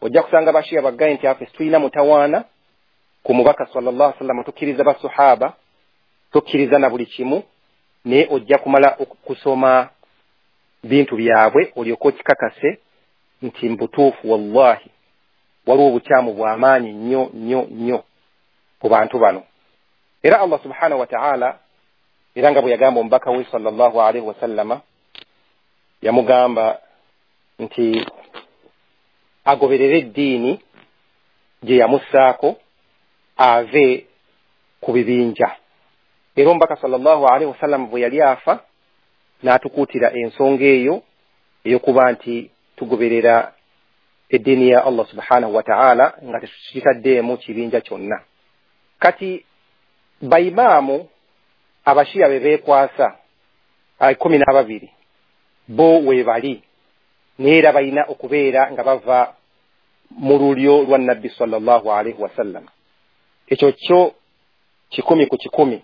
Ojja kusanga Bashiya baggaye nti afe tulina mutawaana ku mubaka sallallahu alaihi wasallam, tukkiriza basuhaba, tukkiriza na buli kimu, naye ojja kumala kusoma bintu byabwe olyoke okikakase nti mbutuufu wallahi waliwo obukyamu bw'amaanyi nnyo nnyo nnyo ku bantu bano. Era Allah subhanahu wataala, era nga bwe yagamba omubaka we sallallahu alaihi wasallama, yamugamba nti agoberere eddiini gye yamussaako, ave ku bibinja. Era omubaka sallallahu alaihi wasallam bwe yali afa n'atukuutira ensonga eyo ey'okuba nti tugoberera eddiini ya Allah subhanahu wataala nga tetukitaddeemu kibinja kyonna. Kati baimaamu Abashiya be beekwasa 12 bo weebali, naye era balina okubeera nga bava mu lulyo lwa nabbi sallallahu alaihi wasallam. Ekyo kyo 100%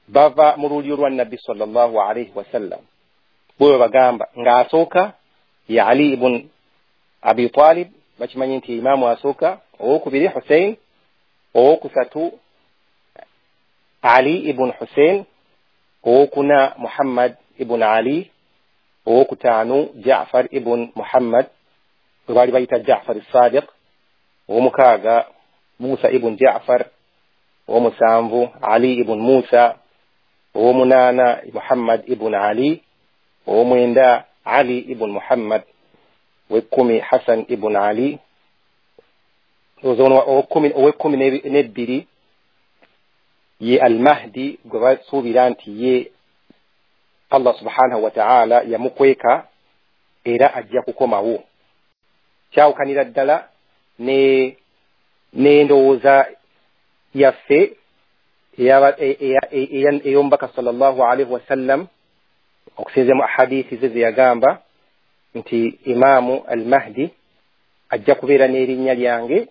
bava mu lulyo lwa nabbi sallallahu alaihi wasallam. Bwe bagamba ng'asooka ye Ali ibn Abi Talib, bakimanyi nti imaamu asooka, owokubiri Hussein, owokusatu Ali ibn Hussein, owokuna Muhammad ibn Ali, owokutaano Jafar ibn Muhammad bwe baali bayita Jafar Sadiq, owomukaaga Musa ibn Jafar, owomusanvu Ali ibn Musa, owomunaana Muhammad ibn Ali, owomwenda Ali ibn Muhammad, wekkumi Hassan ibn Ali, 12 ye Almahdi gwe basuubira nti ye Allah subhanahu wataala yamukweka era ajja kukomawo. Kyawukanira ddala ne n'endowooza yaffe ey'omubaka sallallahu alaihi wasallam, okusinzira mu ahadithi ze ze yagamba nti imaamu Almahdi ajja kubeera n'erinnya lyange,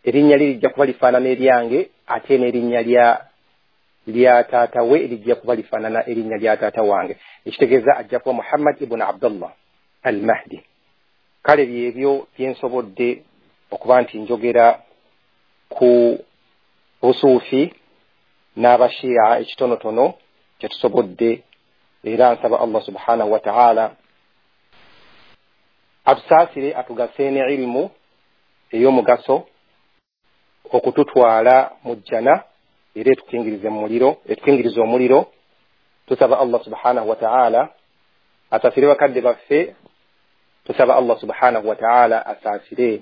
erinnya lye lijja kuba lifaanana eryange, ate n'erinnya lya lya taata we lijja kuba lifaanana erinnya lya taata wange, ekitegeeza ajja kuba Muhammad ibn Abdullah al-Mahdi. Kale byebyo byensobodde okuba nti njogera ku busuufi n'abashia ekitonotono kyetusobodde, era nsaba Allah subhanahu wa ta'ala atusaasire atugase ne ilimu ey'omugaso okututwala mu jjana era etukingirize mu muliro, etukingirize omuliro. Tusaba Allah subhanahu wa ta'ala asaasire bakadde baffe, tusaba Allah subhanahu wa ta'ala asaasire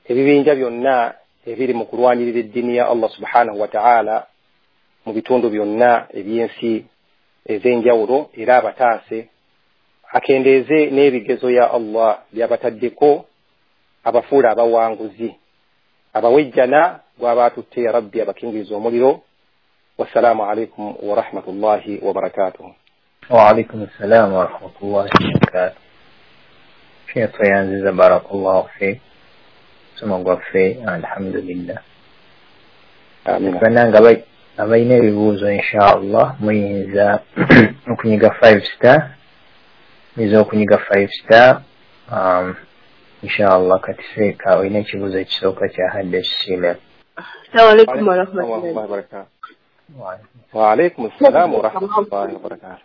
ebibinja byonna ebiri mu kulwanirira eddiini ya Allah subhanahu wa ta'ala mu bitundu byonna eby'ensi ez'enjawulo, era abataase akendeeze n'ebigezo ya Allah by'abataddeko, abafuula abawanguzi, abawejjana gw'abaatutte ya Rabbi abakingiriza omuliro. Wassalaamu alaikum wa rahmatullahi wa barakatuh. Wa alaikum assalam wa rahmatullahi wa barakatuh. Sheikh Yanziza, barakallahu fiik. Omusomo gwaffe alhamdulillah. Amina. Bannange abalina ebibuuzo inshallah muyinza okunyiga 5 star, muyinza okunyiga 5 star inshallah. Kati seeka olina ekibuuzo ekisooka kya Hadde Sheila. Assalamu alaikum wa rahmatullahi wa barakatuh. Wa alaikum assalam wa rahmatullahi wa barakatuh.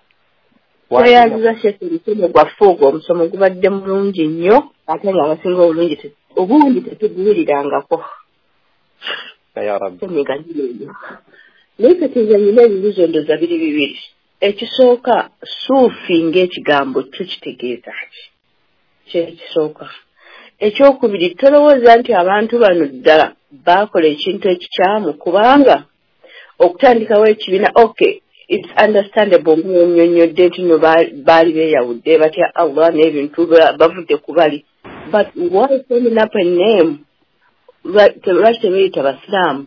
Tweyanziza Sheikh omusomo gwaffe ogwo, omusomo gubadde mulungi nnyo ate nga abasinga obulungi obungi tetuguwulirangako. Ya Rabbi. Naye kati nze nnina ebibuuzo ndowooza biri bibiri. Ekisooka, suufi ng'ekigambo kyo kitegeeza ki? Kyekisooka. Ekyokubiri, tolowooza nti abantu bano ddala baakola ekintu ekikyamu, kubanga okutandikawo ekibiina, okay, it's understandable ng'onnyonnyodde nti no baali beeyawudde batya Allah n'ebintu bavudde ku bali, but why setting up a name? Lwaki tebeeyita basiraamu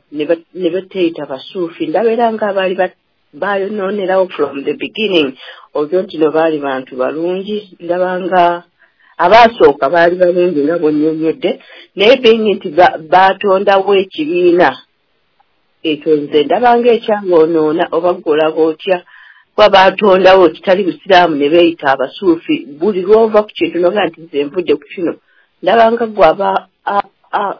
ne bateeyita basuufi? Ndabeera nga abaali bayonoonerawo from the beginning, olwo nti no baali bantu balungi, ndaba nga abaasooka baali balungi nga bw'onnyonnyodde, naye being nti baatondawo ekibiina ekyo nze ndaba nga ekyaboonoona. Oba ggwe olaba otya kuba baatondawo kitali busiraamu ne beeyita abasuufi? Buli lw'ova ku kintu noga nti nze nvudde ku kino, ndaba nga ggwe aba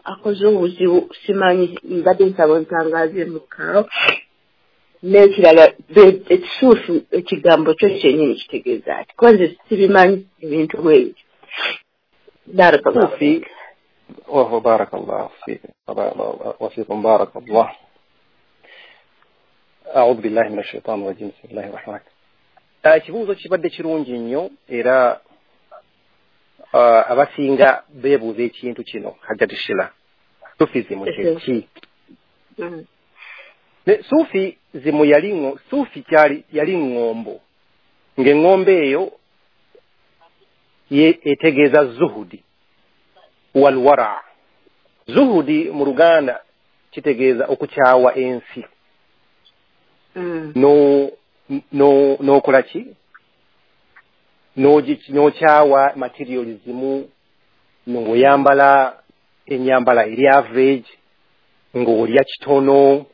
akoze obuzibu. Simanyi, mbadde nsaba ntangaaze mukaawo. N'ekirala, ekisuufu ekigambo kyo kyennyini kitegeeza ati? Kuba nze sibimanyi ebintu bwe bityo. Barakallahu fiik. Wa barakallahu fiik wa fiikum barakallah. A'udhu billahi minash shaitani rajim. Bismillahir rahmanir rahim. Ekibuuzo kibadde kirungi nnyo, era abasinga beebuuza ekintu kino. Hajjati Sheila, sufizimu kye ki? Sufi zimu yali sufi kyali yali ŋŋombo, ng'eŋŋombo eyo etegeeza zuhudi walwara. Zuhudi mu Luganda kitegeeza okukyawa ensi n'okola ki, n'okyawa materialism, ng'oyambala ennyambala eri average, ng'olya kitono,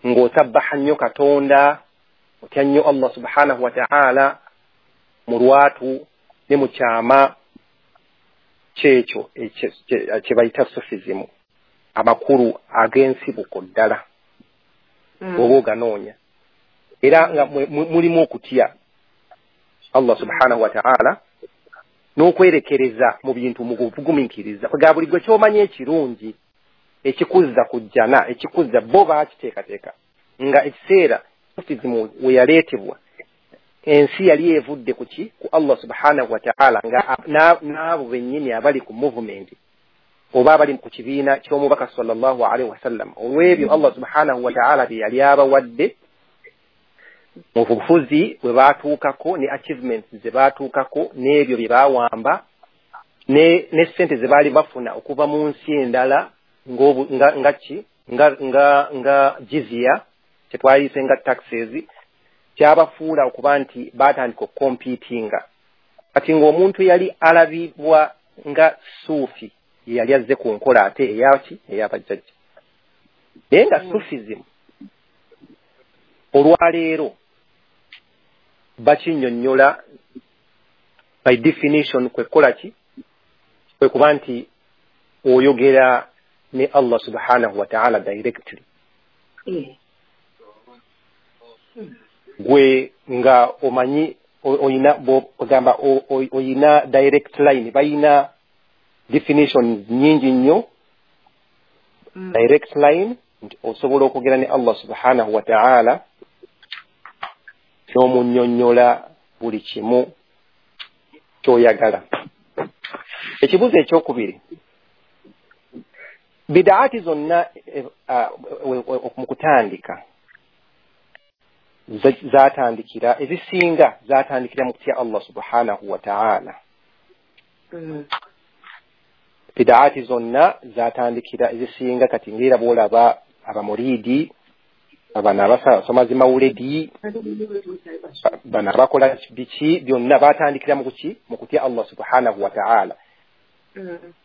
ng'osabbaha nnyo Katonda, otya nnyo Allah subhanahu wa ta'ala mu lwatu ne mu kyama. Kyekyo kye bayita sufism, amakulu ag'ensibuko ddala oba oganoonya, era nga mulimu okutya Allah subhanahu wa ta'ala n'okwerekereza mu bintu mu kugumiikiriza. Kwega buli gwe ky'omanyi ekirungi ekikuzza ku jjana, ekikuzza, bo baakiteekateeka nga ekiseera sufism we yaleetebwa ensi yali evudde ku ki? Ku Allah subhanahu wa ta'ala, nga n'abo bennyini abali ku movement oba abali ku kibiina ky'omubaka sallallahu alaihi wasallam, olw'ebyo Allah subhanahu wa ta'ala bye yali abawadde mu bufuzi bwe baatuukako ne achievements ze baatuukako n'ebyo bye baawamba ne ssente ze baali bafuna okuva mu nsi endala nga ki nga jizya kyetwayise nga taxes, kyabafuula okuba nti baatandika okukompiitinga. Kati ng'omuntu yali alabibwa nga suufi yali azze ku nkola ate eyaki ey'abajjajja, naye nga sufism Olwaleero bakinnyonnyola by definition kwe kukola ki? Kwe kuba nti oyogera ne Allah subhanahu wa ta'ala directly. Gwe nga omanyi oyina ogamba oyina direct line, bayina definition nyingi nnyo. Direct line nti osobola okwogera ne Allah subhanahu wa ta'ala n'omunnyonnyola buli kimu ky'oyagala. Ekibuuzo ekyokubiri, bidaati zonna mu kutandika zatandikira, ezisinga zatandikira mu kutya Allah subhanahu wa ta'ala. Bidaati zonna zatandikira ezisinga, kati ngera bw'olaba abamuridi, abana abasoma zimawuledi, bano abakola biki, byonna batandikira mu kuki? Mu kutya Allah subhanahu wa ta'ala.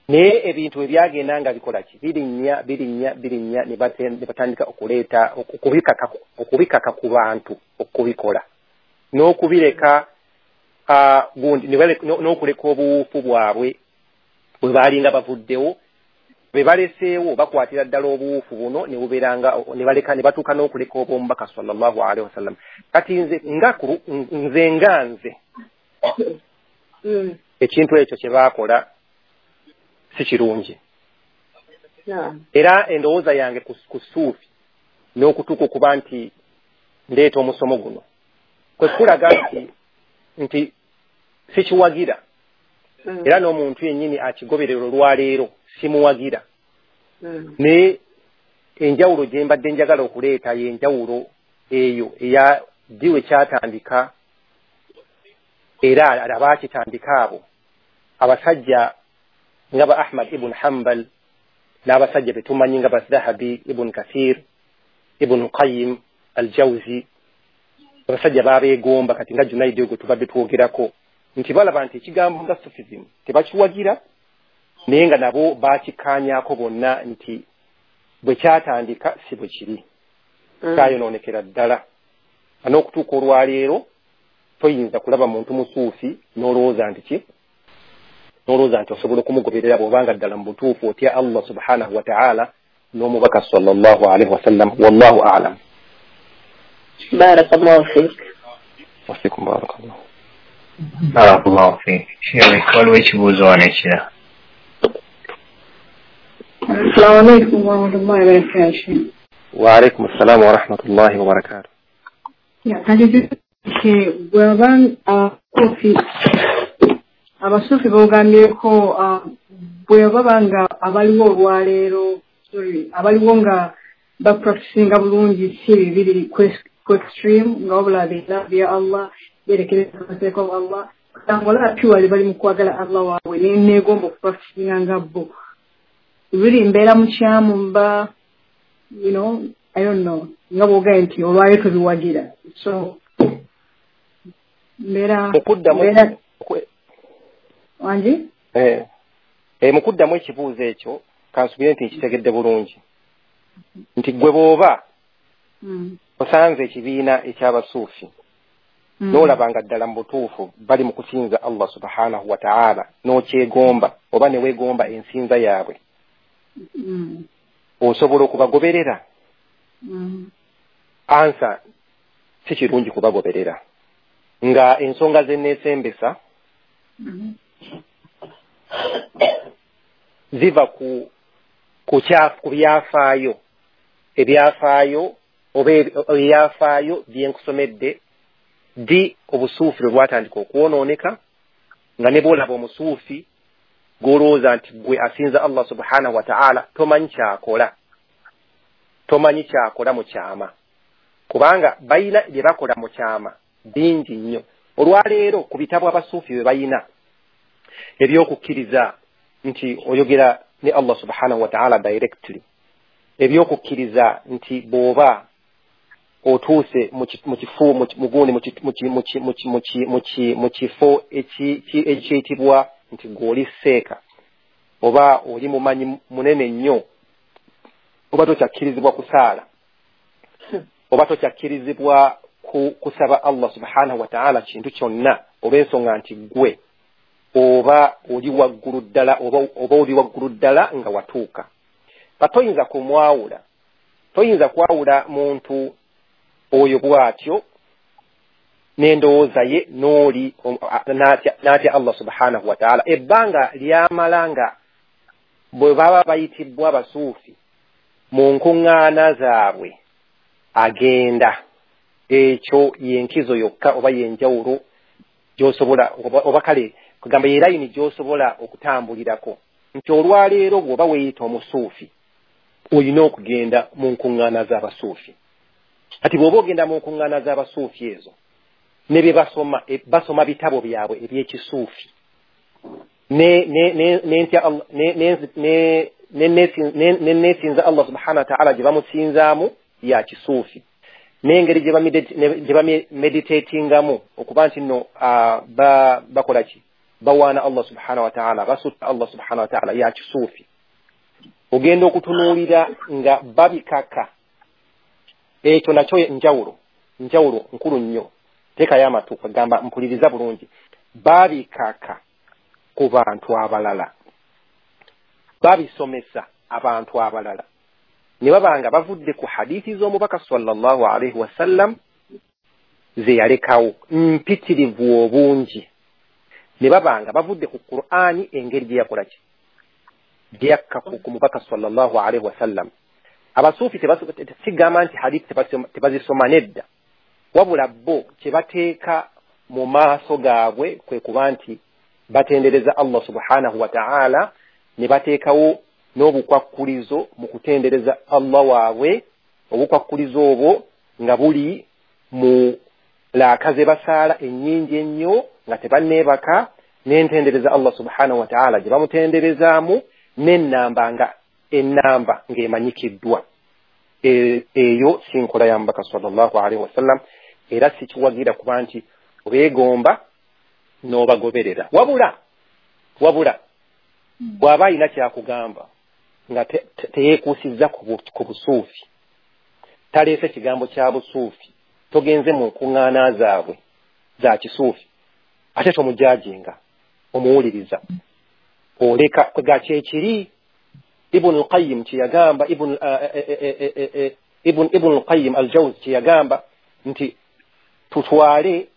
Naye ebintu ebyagenda nga bikola ki? Birinnya, birinnya, birinnya, ne batandika okuleeta okubikaka ku bantu okubikola n'okubireka, gundi n'okuleka obuwufu bwabwe bwe baalinga bavuddewo, bwe baleseewo bakwatira ddala obuwufu buno ne bubeeranga ne baleka ne batuuka n'okuleka obw'omubaka sallallahu alaihi wasallam. Kati nze nga nze ekintu ekyo kye baakola si kirungi. Era endowooza yange ku suufi n'okutuuka okuba nti ndeeta omusomo guno kwe kulaga nti sikiwagira, era n'omuntu yennyini akigoberera olwaleero simuwagira. Naye enjawulo gye mbadde njagala okuleeta y'enjawulo eyo eya ddi we kyatandika, era abaakitandika abo abasajja nga ba Ahmad ibn Hanbal n'abasajja be tumanyi nga ba Dhahabi, Ibn Kathir, Ibn Qayyim al-Jawzi, abasajja babeegomba kati nga Junaidi ogwo tubadde twogerako nti balaba nti ekigambo nga Sufism tebakiwagira, naye nga nabo bakikkaanyaako bonna nti bwe kyatandika si bwe kiri, kyayonoonekera ddala. N'okutuuka olwaleero toyinza kulaba muntu musuufi n'olowooza nti ki? N'olowooza nti osobola okumugoberera bw'obanga ddala mu butuufu otya Allah subhanahu wa ta'ala n'omubaka sallallahu alaihi wasallam. Wallahu a'lam. Barakallahu fiik. Wa fiikum barakallahu. Barakallahu fiik. Sheikh, waliwo ekibuuzo wano ekirala. Assalamu alaikum wa rahmatullahi wa barakatuh. Wa alaikum assalam wa rahmatullahi wa barakatuh. Abasuufi boogambyeko bwe baba nga abaliwo olwaleero, sorry, abaliwo nga bapracticinga bulungi si bibiri ku extreme, nga wabula bya Allah, berekereza amateeka ga Allah, nga olaba purely bali mu kwagala Allah waabwe neegomba okupracticinga nga bo. Really mbeera mukyamu mba, you know, I don't know, nga bw'ogambye nti olwaleero tubiwagira. So mbeera wangi? Mu kuddamu ekibuuzo ekyo kansubire nti nkitegedde bulungi nti gwe bw'oba osanze ekibiina eky'abasuufi n'olaba nga ddala mu butuufu bali mu kusinza Allah subhanahu wa ta'ala n'okyegomba oba ne weegomba ensinza yaabwe, osobola okubagoberera? Ansa si kirungi kubagoberera nga ensonga ze neesembesa ziva ku byafaayo, ebyafaayo oba ebyafaayo byenkusomedde ddi obusuufi lwe bwatandika okwonooneka, nga ne bw'olaba omusuufi gw'olowooza nti gwe asinza Allah subhanahu wa ta'ala tomanyi kyakola, tomanyi kyakola mu kyama, kubanga bayina bye bakola mu kyama bingi nnyo. Olwaleero ku bitabo abasuufi bye bayina ebyokukkiriza nti oyogera ne Allah subhanahu wa ta'ala directly, ebyokukkiriza nti bw'oba otuuse mu kifo ekiyitibwa nti gw'oli seeka oba oli mumanyi munene nnyo oba tokyakkirizibwa kusaala, oba tokyakkirizibwa kusaba Allah subhanahu wa ta'ala kintu kyonna olw'ensonga nti ggwe oba oli waggulu ddala oba oli waggulu ddala nga watuuka. Toyinza kumwawula, toyinza kwawula muntu oyo bw'atyo n'endowooza ye n'oli n'atya Allah subhanahu wa ta'ala. Ebbanga lyamala nga bwe baba bayitibwa abasuufi mu nkuŋŋaana zaabwe agenda, ekyo yenkizo yokka oba yenjawulo gy'osobola oba kale kugamba ye layini gy'osobola okutambulirako nti olwaleero bw'oba weeyita omusuufi olina okugenda mu nkuŋŋaana z'abasuufi. Kati bw'oba ogenda mu nkuŋŋaana z'abasuufi ezo ne bye basoma, basoma bitabo byabwe ebyekisuufi ne neesinza Allah subhanahu wa ta'ala gye bamusinzaamu ya kisuufi, n'engeri gye bameditatingamu okuba nti nno bakola ki, bawaana Allah subhanahu wa ta'ala, basutta Allah subhanahu wa ta'ala ya kisuufi. Ogenda okutunuulira nga babikaka, ekyo nakyo njawulo nkulu nnyo. Teekayo amatu kagamba mpuliriza bulungi. Babikaka ku bantu abalala, babisomesa abantu abalala, ne baba nga bavudde ku hadithi z'omubaka sallallahu alaihi wasallam ze yalekawo mpitirivu obungi, ne baba nga bavudde ku Qur'ani engeri gye yakola ki, gye yakka ku mubaka sallallahu alaihi wasallam. Abasuufi sigamba nti hadithi tebazisoma nedda, wabula bo kye bateeka mu maaso gaabwe kwe kuba nti batendereza Allah subhanahu wa ta'ala, ne bateekawo n'obukwakkulizo mu kutendereza Allah waabwe. Obukwakkulizo obwo nga buli mu laaka ze basaala ennyingi ennyo nga tebanneebaka, n'entendereza Allah subhanahu wa ta'ala gye bamutenderezaamu, n'ennamba nga ennamba ng'emanyikiddwa. Eyo si nkola ya mubaka sallallahu alaihi wasallam, era sikiwagira kuba nti obeegomba n'obagoberera. Wabula bw'aba alina kyakugamba nga teyeekuusizza ku busuufi, taleese kigambo kya busuufi, togenze mu nkuŋŋaana zaabwe za kisuufi, ate tomujajinga, omuwuliriza oleka kwega kyekiri. Ibn al-Qayyim kyeyagamba, Ibn al-Qayyim al-Jawzi kyeyagamba nti tutwale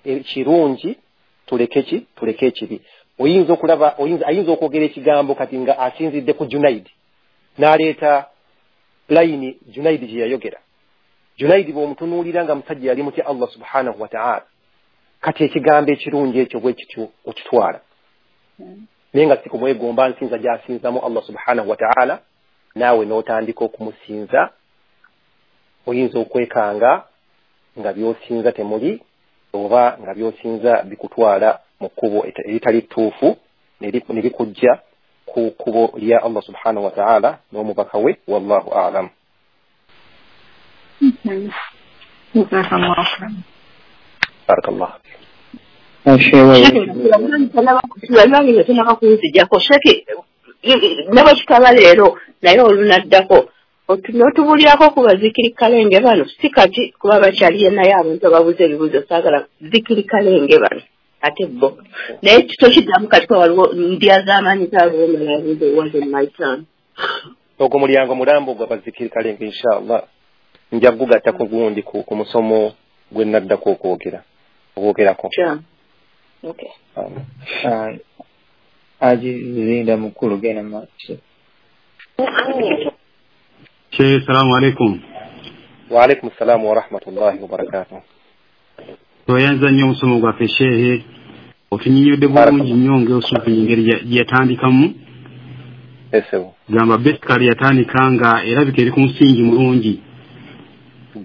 ekirungi tuleke ki, tuleke ekibi. Oyinza okulaba, ayinza okwogera ekigambo kati nga asinzidde ku Junaidi n'aleeta layini Junaidi gye yayogera. Junaidi bw'omutunuulira nga musajja yali mutya Allah subhanahu wa ta'ala, kati ekigambo ekirungi ekyo bwe kityo okitwala, naye nga si kumwegomba nsinza gy'asinzamu Allah subhanahu wa ta'ala, naawe n'otandika okumusinza. Oyinza okwekanga nga by'osinza temuli, oba nga by'osinza bikutwala mu kkubo eritali ttuufu ne bikujja ku kkubo lya Allah subhanahu wa ta'ala n'omubaka we. Wallahu a'lam. Barakallah. Tonaba kunzijjako sheki ne bwe kitaba leero, naye olunaddako n'otubuulirako ku bazikiri kalenge bano. Si kati kuba bakyaliyo, naye abantu ababuuza ebibuuzo saagala zikiri kalenge bano ate bo, naye tokiddamu kati kuba waliwo ndya z'amaanyi zaalwomalabuuza wasn't my turn. Ogwo mulyango mulambo gwa bazikiri kalenge, inshallah nja kugugattako gundi ku musomo gwe naddako okwogerako. Okay. Aji Zinda mukulu, genda maaso. Sheikh, salamu alaikum. Wa alaikum salamu wa rahmatullahi wa barakatuh. Toyanza nnyo omusomo gwaffe shehe, otunyinyodde bulungi nnyo ng'osuufi engeri gye yatandikamu. Esebo. Gamba basically yatandika nga erabika eri ku musingi mulungi.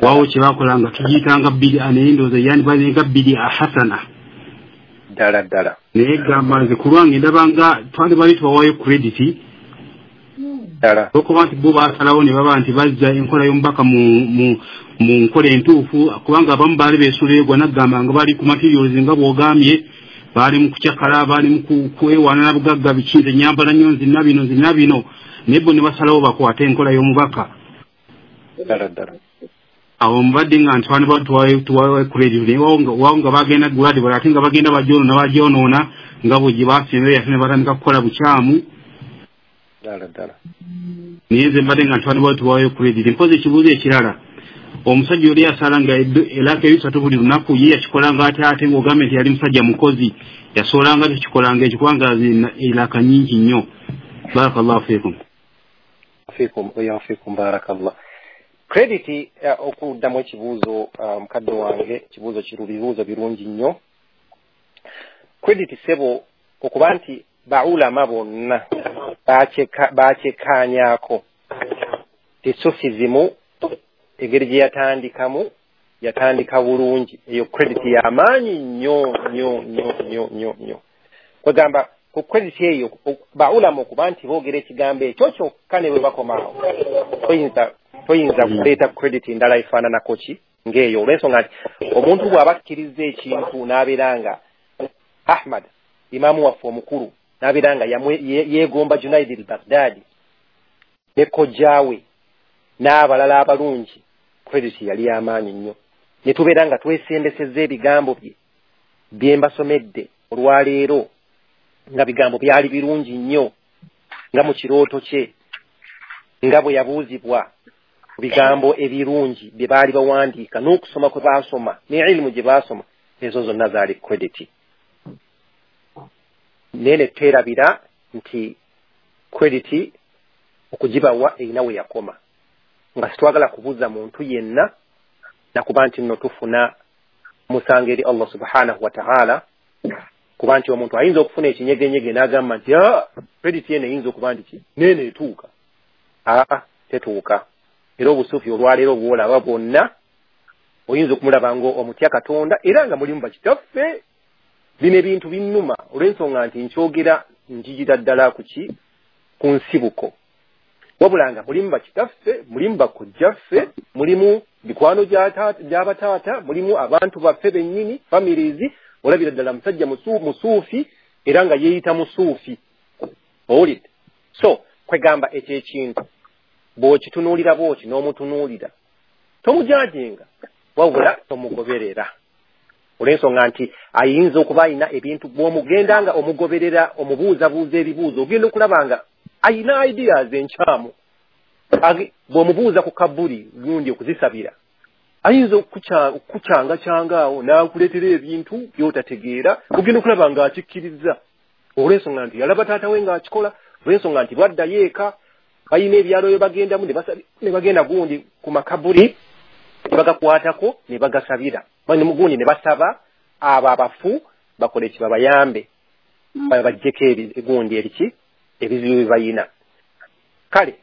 Wawo kye bakola nga tugiyitanga bid'a, naye ndowooza yandibalenga bid'a hasana. Ddala ddala. Naye gamba nze ku lwange ndaba nga twandibali tubawayo credit. Ddala. Olwokuba nti bo baasalawo ne baba nti bazza enkola y'omubaka mu nkola entuufu, kubanga abamu baali beesuleegwa naggamba nga bali ku materials nga bw'ogambye, baali mu kucakala, baali mu kwewaana na bugagga, biki, nze nnyambala nnyo, nzina bino nzina bino, naye bo ne basalawo bakwate enkola y'omubaka. Ddala ddala. Awo mbadde nga ntwani tuwawe credit naye wawo nga bagenda gradually ate nga bagenda bajoonoona nga bwe gye basembeyo ate ne batandika kukola bukyamu. Ddala ddala. Naye nze mbadde nga ntwani tuwawe credit. Mpozi ekibuuzo ekirala, omusajja oli yasalanga eraka ebisatu buli lunaku, ye yakikolanga ate ate ng'ogambye nti yali musajja mukozi, yasoolanga tekikolanga ekyo kubanga eraka nnyingi nnyo. Barakallahu fiikum. Fiikum wa fiikum barakallah. Credit okuddamu ekibuuzo mukadde wange, ekibuuzo bibuuzo birungi nnyo. Credit sebo okuba nti baulama bonna bakyekkaanyaako ti Sufism engeri gye yatandikamu yatandika bulungi, eyo credit y'amaanyi nnyo nnyo nnyo nnyo nnyo nnyo. Kwegamba ku credit eyo baulama okuba nti boogera ekigambo ekyo kyokka ne bwe bakomaawo toyinza kuleeta credit endala efaananako ki ng'eyo, olw'ensonga nti omuntu bw'aba akkiriza ekintu n'abeera nga Ahmad imaamu waffe omukulu n'abeera nga yeegomba Junaid al-Baghdadi ne kojjaawe n'abalala abalungi, credit yali y'amaanyi nnyo. Ne tubeera nga twesembesezza ebigambo bye bye mbasomedde olwaleero nga bigambo byali birungi nnyo, nga mu kirooto kye nga bwe yabuuzibwa bigambo ebirungi bye baali bawandiika n'okusoma kwe baasoma ne ilimu gye baasoma, ezo zonna zaali credit. Naye ne twerabira nti credit okugibawa erina we yakoma, nga sitwagala kubuuza muntu yenna nakuba nti nno tufuna musango eri Allah subhanahu wa ta'ala, kuba nti omuntu ayinza okufuna ekinyegenyege n'agamba nti credit yene eyinza okuba nti ki neene etuuka. Aa, tetuuka. Era obusuufi olwaleero bw'olaba bwonna oyinza okumulaba nga omutya Katonda era nga mulimu bakitaffe. Bino ebintu binnuma olw'ensonga nti nkyogera njigira ddala ku ki ku nsibuko, wabula nga mulimu bakitaffe, mulimu bakojjaffe, mulimu mikwano gy'abataata, mulimu abantu baffe bennyini, families. Olabira ddala musajja musuufi era nga yeeyita musuufi, owulidde? So kwegamba ekyo ekintu bw'okitunuulira bw'oti n'omutunuulira tomujajinga, wabula tomugoberera, olw'ensonga nti ayinza okuba ayina ebintu bw'omugenda nga omugoberera omubuuzabuuza ebibuuzo ogenda okulaba nga ayina ideas enkyamu. Bw'omubuuza ku kabuli gundi okuzisabira ayinza okucyangacyanga awo n'akuleetera ebintu by'otategeera, ogenda okulaba nga akikkiriza olw'ensonga nti yalaba taata we ng'akikola, olw'ensonga nti bwaddayo eka balina ebyalo bye bagendamu ne bagenda gundi ku makabuli ne bagakwatako ne bagasabira gundi ne basaba abo abafu bakole ki babayambe babaggyeko gundi eriki ebizibu bye bayina. Kale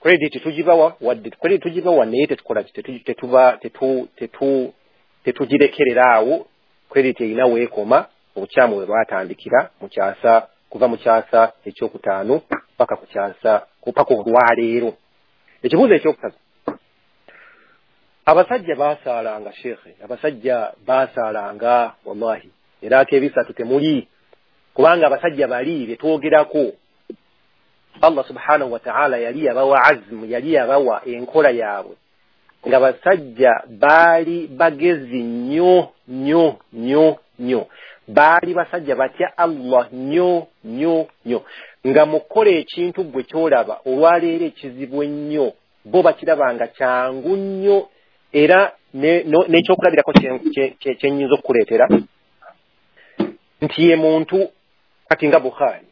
credit tugibawa wadde credit tugibawa naye tetukola ki tetugirekerera awo. Credit erina weekoma, obukyamu bwe bwatandikira mu kyasa kuva mu kyasa ekyokutaano paka ku kyasa paka olwaleero. Ekibuuzo ekyokusatu, abasajja baasaalanga sheekhe, abasajja baasaalanga wallahi eraka ebisatu temuli, kubanga abasajja bali be twogerako Allah subhanahu wa ta'ala yali yabawa azmu, yali yabawa enkola yaabwe, nga basajja baali bagezi nnyo nnyo nnyo nnyo, baali basajja batya Allah nnyo nnyo nnyo, nga mukola ekintu gwe kyolaba olwaleero ekizibu ennyo bo bakiraba nga kyangu nnyo. Era n'ekyokulabirako kye nnyinza okukuleetera nti ye muntu kati nga Bukhari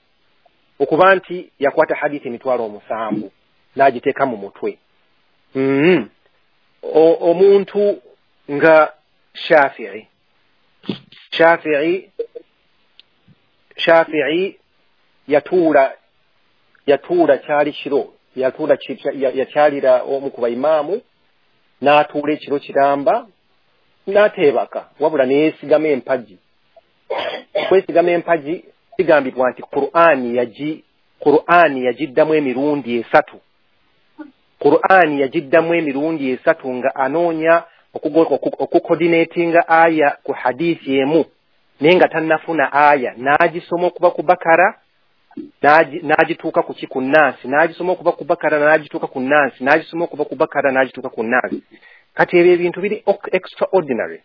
okuba nti yakwata hadithi 7,000 n'agiteeka mu mutwe. Omuntu nga Shafi'i yatuula kyali kiro, yatuula yakyalira omu ku baimaamu n'atuula ekiro kiramba n'ateebaka, wabula ne yeesigama empagi. Okwesigama empagi kigambibwa nti Qur'ani yagiddamu emirundi 3. Qur'ani yagiddamu emirundi 3 nga anoonya okucoordinatinga aya ku hadithi emu, naye nga tannafuna aya n'agisoma okuva ku Bakara n'agituuka ku ki ku Naasi, n'agisoma okuva ku Bakara n'agituuka ku Naasi, n'agisoma okuva ku Bakara n'agituuka ku Naasi. Kati ebyo ebintu biri extraordinary.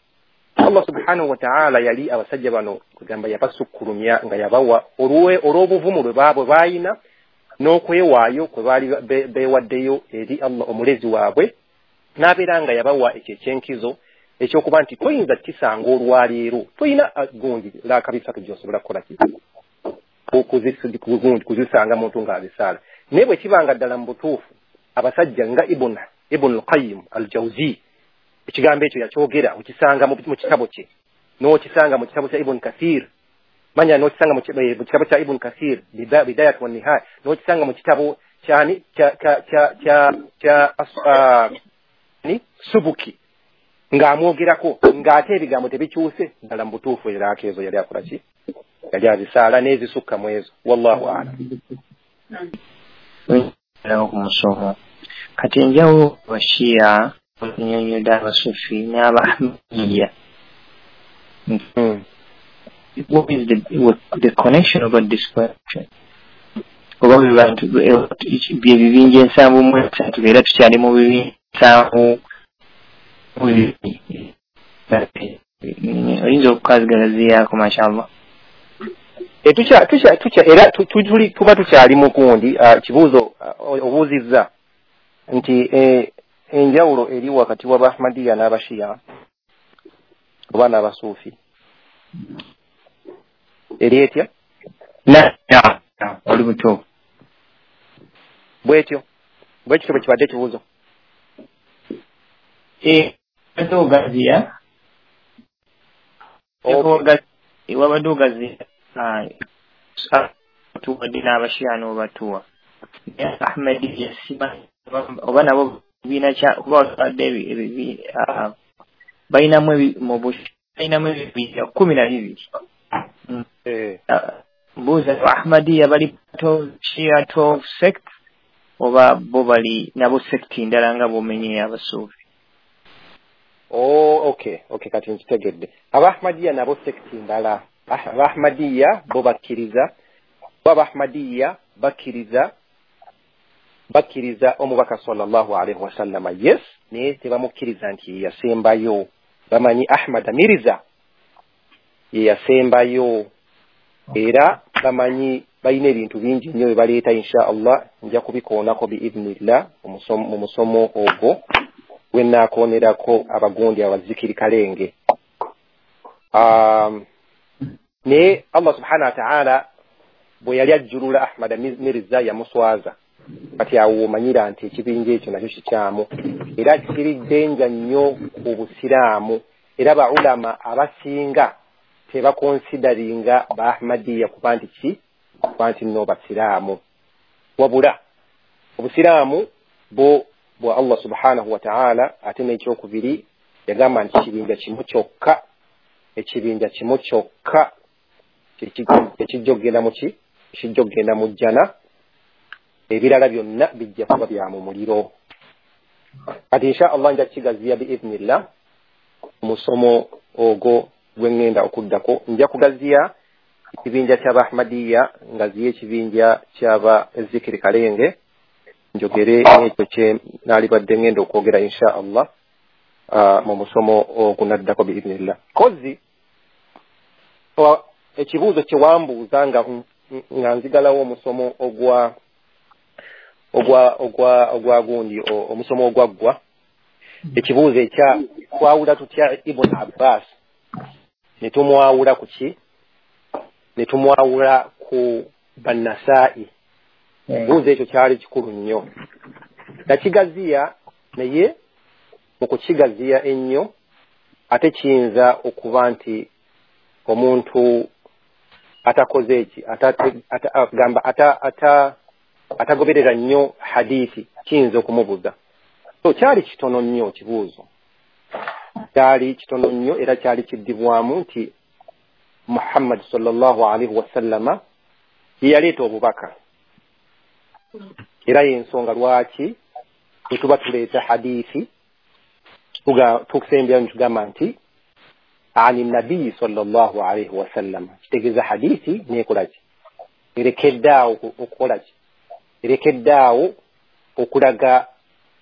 Allah subhanahu wa ta'ala yali abasajja bano kugamba yabasukkulumya nga yabawa olw'obuvumu lwe baabwe baayina n'okwewaayo kwe baali beewaddeyo eri Allah omulezi waabwe, n'abeera nga yabawa ekyo ekyenkizo ekyokuba nti toyinza kisanga olwaleero, toyina gundi laaka bisatu gy'osobola kukola ki kuzisanga muntu ng'azisaala. Naye bwe kibanga ddala mu butuufu abasajja nga Ibn al-Qayyim al-Jawzi ekigambo ekyo yakyogera, okisanga mu kitabo kye, n'okisanga mu kitabo kya Ibn Kathir, manya n'okisanga mu kitabo kya Ibn Kathir Bidayat wa Nihaya, n'okisanga mu kitabo kyani kya Subuki ng'amwogerako ng'ate ebigambo tebikyuse ddala mu butuufu eraaka ezo yali akola ki, yali azisaala n'ezisukka mu ezo. Wallahu a'lam. Ku musomo kati enjawulo Abashia okunnyonnyodde Abasufi n'Abahmadiyya. What is the connection about this question? Oba bantu bye bibinja 73 era tukyali mu bibinja 72. Oyinza okukazigalaziyaako mashallah. Era tuba tukyali mu kundi kibuuzo obuuzizza nti enjawulo eri wakati w'Abahmadiyya n'Abashia oba n'Abasuufi eri etya? Oli butuufu. Bwetyo bwe kibadde ekibuuzo. Ogaziya wabadde ogaziya tuwadde n'Abashia n'obatuwa. Ahmadiyya simanyi oba nabo bibiina kya kuba watwadde balinamu ebibinja 12. Mbuuza Ahmadiyya bali part of Shia 12 sect oba bo bali nabo sect ndala nga bw'omenye Abasuufi? Oh, okay, kati nkitegedde. Abahmadiyya nabo sect ndala. Abahmadiyya bo bakkiriza, Abahmadiyya bakkiriza omubaka sallallahu alaihi wasallama, yes, naye tebamukkiriza nti ye yasembayo. Bamanyi Ahmad Mirza ye yasembayo, era bamanyi balina ebintu bingi nnyo bye baleeta. Insha Allah nja kubikoonako biidhnillah mu musomo ogwo gwe nnaakonerako abagundi abazikiri kalenge. Naye Allah subhanahu wa ta'ala bwe yali ajjulula Ahmad Mirza yamuswaza. Kati awo omanyira nti ekibinja ekyo nakyo kikyamu era kiri ddenja nnyo ku Busiraamu, era ba ulama abasinga tebakonsidaringa ba Ahmadiyya kuba nti ki, kuba nti nno Basiraamu. Wabula Obusiraamu bo bwa Allah subhanahu wa ta'ala, ate n'ekyokubiri yagamba nti ekibinja kimu kyokka, ekibinja kimu kyokka ekijja okugenda mu ki, ekijja okugenda mu jjana, ebirala byonna bijja kuba bya mu muliro. Kati insha Allah nja kukigaziya biidhnillah omusomo ogwo gwe ŋŋenda okuddako. Nja kugaziya ekibinja ky'Abahmadiyya, ngaziye ekibinja ky'aba Zikiri Kalenge, njogere n'ekyo kye naalibadde ŋŋenda okwogera insha Allah mu musomo ogunaddako biidhnillah. Kozi ekibuuzo kye wambuuza nga nzigalawo omusomo ogwa gundi omusomo ogwaggwa, ekibuuzo ekya twawula tutya Ibn Abbas ne tumwawula ku ki, ne tumwawula ku Bannasaa'i. Ekibuuzo ekyo kyali kikulu nnyo, nakigaziya, naye mu kukigaziya ennyo ate kiyinza okuba nti omuntu atakoze eki atagoberera nnyo hadithi kiyinza okumubuza. So kyali kitono nnyo kibuuzo, kyali kitono nnyo era kyali kiddibwamu nti Muhammad sallallahu alaihi wasallama ye yaleeta obubaka, era y'ensonga lwaki bwe tuba tuleeta hadithi tukusembyayo ne tugamba nti ani nabii sallallahu alaihi wasallama, kitegeeza hadithi neekola ki, erekeddaawo okukola ki, erekeddaawo okulaga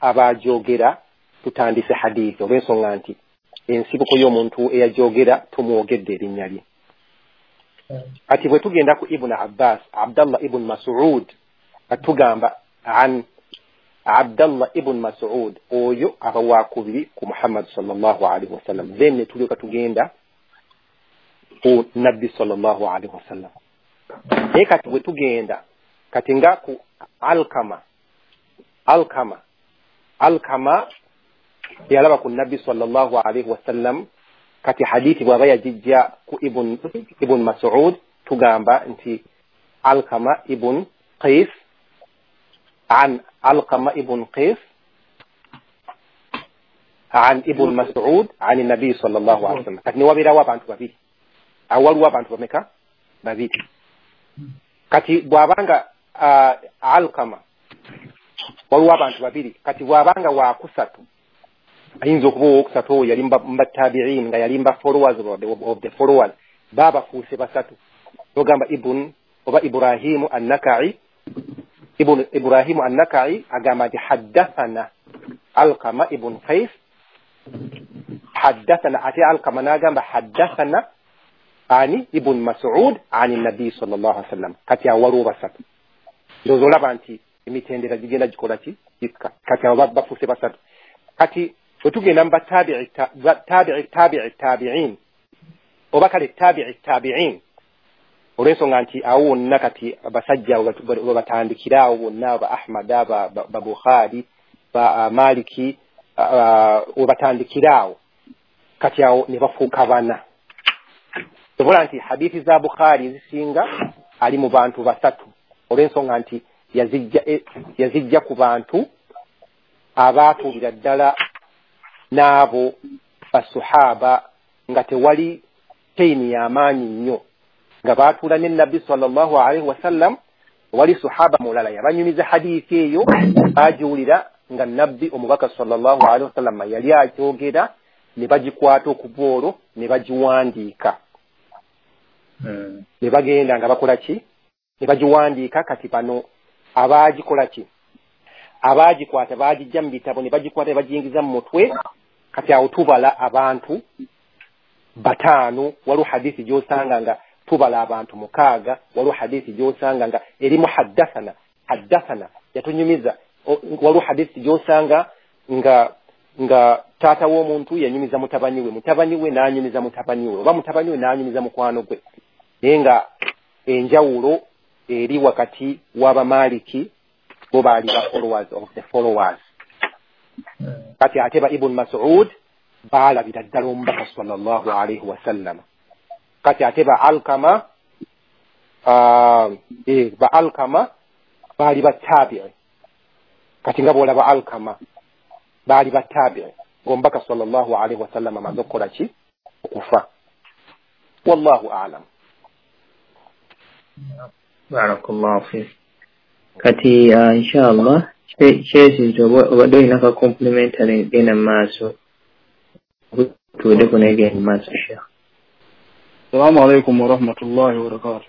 abaajogera Tutandise hadithi olw'ensonga nti ensibuko y'omuntu eyajogera tumwogedde erinnya lye. Kati bwe tugenda ku Ibn Abbas, Abdallah ibn Mas'ud, atugamba an Abdallah ibn Mas'ud, oyo aba wakubiri ku Muhammad sallallahu alaihi wasallam. Then ne tulyoka tugenda ku Nabbi sallallahu alaihi wasallam. Naye kati bwe tugenda kati nga ku Alkama, Alkama yalaba ku Nabbi sallallahu alaihi wasallam. Kati hadithi bw'aba yagijja ku Ibn Mas'ud, tugamba nti Alkama ibn Qais, an Alkama ibn Qais an Ibn Mas'ud an Nabi sallallahu alaihi wasallam. Kati ne wabeerawo abantu babiri, awo waliwo abantu bameka? Babiri. Kati bw'abanga Alkama waliwo abantu babiri, kati bw'abanga wakusatu, ayinza okuba owokusatu oyo yali mba tabi'in, nga yali mba followers of the followers, babafuuse basatu. Ogamba ibn oba Ibrahimu an-Naka'i, ibn Ibrahimu an-Naka'i agamba nti haddathana Alkama ibn Qais, haddathana, ate Alkama n'agamba haddathana ani Ibn Mas'ud ani Nabi sallallahu alaihi wasallam. Kati awo waliwo basatu. Ndowooza olaba nti emitendera gigenda gikola ki? Gikka. Kati awo bafuuse basatu. Kati bwe tugenda mu batabi'i tabi'i tabi'in oba kale tabi'i tabi'in, olw'ensonga nti awo wonna kati abasajja batandikira awo bonna, ba Ahmada, ba Bukhari, ba Maliki, webatandikira awo, kati awo ne bafuuka bana. Sobola nti hadithi za Bukhari zisinga ali mu bantu basatu, olw'ensonga nti yazijja ku bantu abaatuulira ddala n'abo basuhaba nga tewali chaini y'amaanyi nnyo, nga baatuula ne Nabbi sallallahu alaihi wasallam. Wali suhaba mulala yabanyumiza hadithi eyo, bagiwulira nga Nabbi omubaka sallallahu alaihi wasallam yali akyogera, ne bagikwata okuva olwo ne bagiwandiika. Ne bagenda nga bakola ki? Ne bagiwandiika. Kati bano abaagikola ki? Abaagikwata baagijja mu bitabo ne bagikwata ne bagiyingiza mu mutwe. Kati awo tubala abantu bataano. Waliwo hadithi gy'osanga nga tubala abantu mukaaga, waliwo hadithi gy'osanga nga erimu haddathana, haddathana yatunyumiza. Waliwo hadithi gy'osanga nga taata w'omuntu yanyumiza mutabani we, mutabani we n'anyumiza mutabani we, oba mutabani we n'anyumiza mukwano gwe. Naye nga enjawulo eri wakati w'Abamaliki, bo baali ba followers of the followers. Kati ate ba Ibn Mas'ud baalabira ddala omubaka sallallahu alaihi wasallam. Kati ate ba Alkama, ba Alkama baali ba tabi'i. Kati nga bw'olaba Alkama baali ba tabi'i ng'omubaka sallallahu alaihi wasallam amaze okukola ki? Okufa. Wallahu a'lam. Barakallahu fik. Kati inshallah kyesi obadde olina ka complimentary genda mu maaso, tuweddeko naye genda mu maaso Sheikh. Assalamu alaikum warahmatullahi wabarakatuh.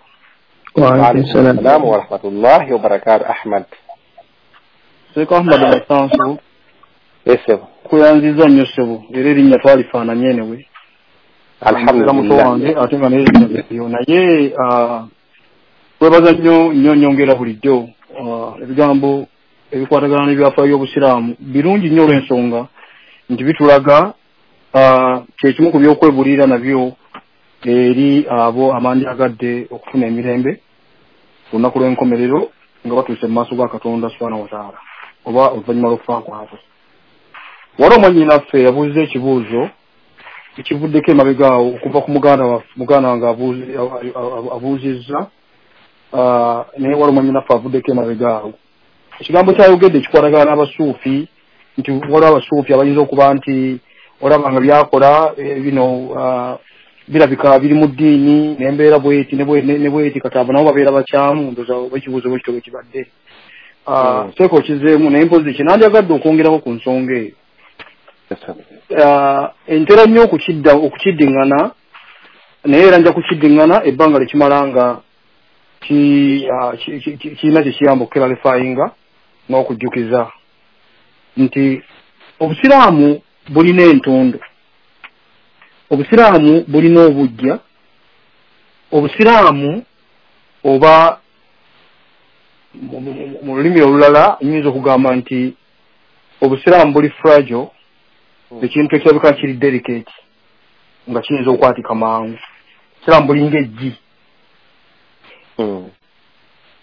Wa alaikum salam wa rahmatullahi wa barakatuh. Ahmad Sheikh Ahmad Masansu. Yes, kuyanziza nnyo ssebo, era erinnya twalifaananye anyway. Alhamdulillah. Ate nga naye naye kwebaza nnyo nnyo nyongera bulijjo ebigambo ebikwatagana n'ebyafaayo by'obusiraamu birungi nnyo olw'ensonga nti bitulaga kyekimu ku by'okwebulira nabyo eri abo abandyagadde okufuna emirembe ku lunaku lw'enkomerero nga batuuse mu maaso ga Katonda subhanahu wa ta'ala oba oluvannyuma lw'okufa kwabwe. Waliwo mwannyinaffe yabuuza ekibuuzo ekivuddeko emabega awo okuva ku muganda wange abuuzizza, naye waliwo mwannyinaffe avuddeko emabega awo. Ekigambo kyayogedde kikwatagana n'abasuufi, nti waliwo abasuufi abayinza okuba nti olaba nga byakola bino birabika biri mu ddiini n'embeera bweti ne bweti, kati abo nabo babeera bakyamu. Ndowooza oba ekibuuzo bwe kityo bwe kibadde. Seeka okizeemu, naye mpozi kye nandyagadde okwongerako ku nsonga eyo. Entera nnyo okukiddiŋŋana, naye era nja kukiddiŋŋana ebbanga lyekimala nga kirina kye kiyamba okuclarifyinga n'okujjukiza nti Obusiraamu bulina entondo, obusiraamu bulina obujja, obusiraamu oba mu lulimi olulala nyinza okugamba nti obusiraamu buli fragile, ekintu ekirabika kiri delicate nga kiyinza okwatika mangu. Obusiraamu bulinga eggi.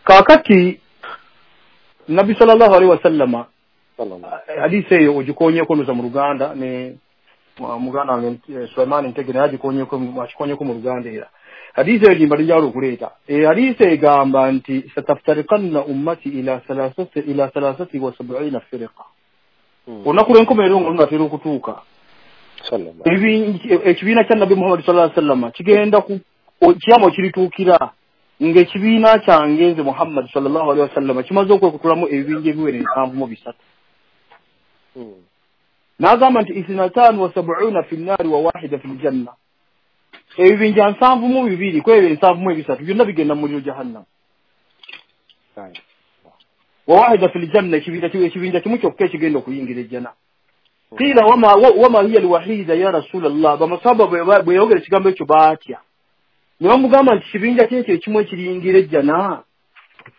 Kaakati Nabbi sallallahu alaihi wasallama hadisi eyo ogikonyeko nuza mu Luganda ne muganda wange Sulaiman Ntege naye akikonyeko mu Luganda era hadisi eyo gimba lijala okuleeta. Hadisi egamba nti sataftarikanna ummati ila 73 firqa. Olunaku lw'enkomerero nga lunatera okutuuka, ekibiina kya Nabbi Muhammad sallallahu alaihi wasallama kigenda ku kiyama kirituukira ng'ekibiina kyange nze Muhammad sallallahu alaihi wasallama kimaze okwekutulamu ebibinja ebiwera 73. N'agamba nti 72 fi nnaari wa 1 fi ljanna, ebibinja 72 ku ebyo 73 byonna bigenda mu muliro jahannam. Wa 1 fi ljanna, ekibinja kimu kyokka ekigenda okuyingira ejjana. Qila wama hiya alwahida ya Rasulallah, bamasaba bwe yayogera ekigambo ekyo baatya ne bamugamba nti kibinja kyekyo ekimu ekiriyingira ejjana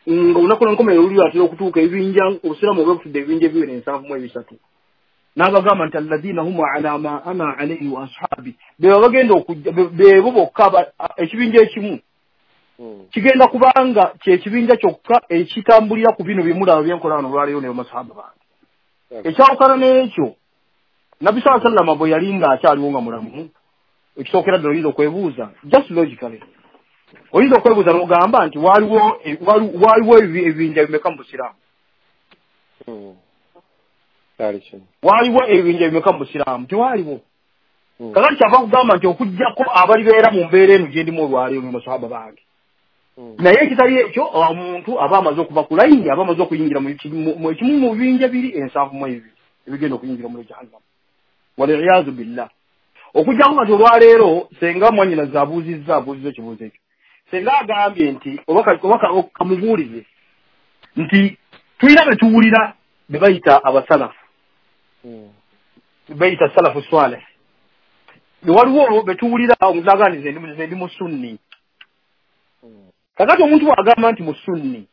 nga olunaku lw'enkomerero luli atera okutuuka ebibinja obusiraamu obwebutudde ebibinja ebiwera 73. N'abagamba nti alladhina hum ala ma ana alayhi wa ashabi, beba bagenda okujja bebo bokka ekibinja ekimu kigenda kubanga kyekibinja kyokka ekitambulira ku bino byemulaba byenkola wano olwaleero ne bamasahaba bange. Ekyawukana n'ekyo Nabbi sallallahu alaihi wasallam bwe yali nga akyaliwo nga mulamu, ekisookera ddala oyinza okwebuuza just logically, oyinza okwebuuza n'ogamba nti waliwo ebibinja bimeka mu busiraamu? Waliwo ebibinja bimeka mu busiraamu? Tewaliwo. Kakati kyava kugamba nti okuggyako abalibeera mu mbeera eno gye ndimu olwaleero ne masahaba bange. Naye ekitali ekyo omuntu aba amaze okuva ku layini, aba amaze okuyingira mu ekimu mu bibinja biri 72 ebigenda okuyingira mu jahannam, waliyazu billah. Okuggyako kati olwaleero senga mwannyinaze abuuzizza ekibuuzo ekyo, senga agambye nti oba kamubuulize nti tulina be tuwulira be bayita abasalafu, bayita salafu swaleh, waliwo be tuwulira omuzaganize ndi musunni. Kakati omuntu bw'agamba nti musunni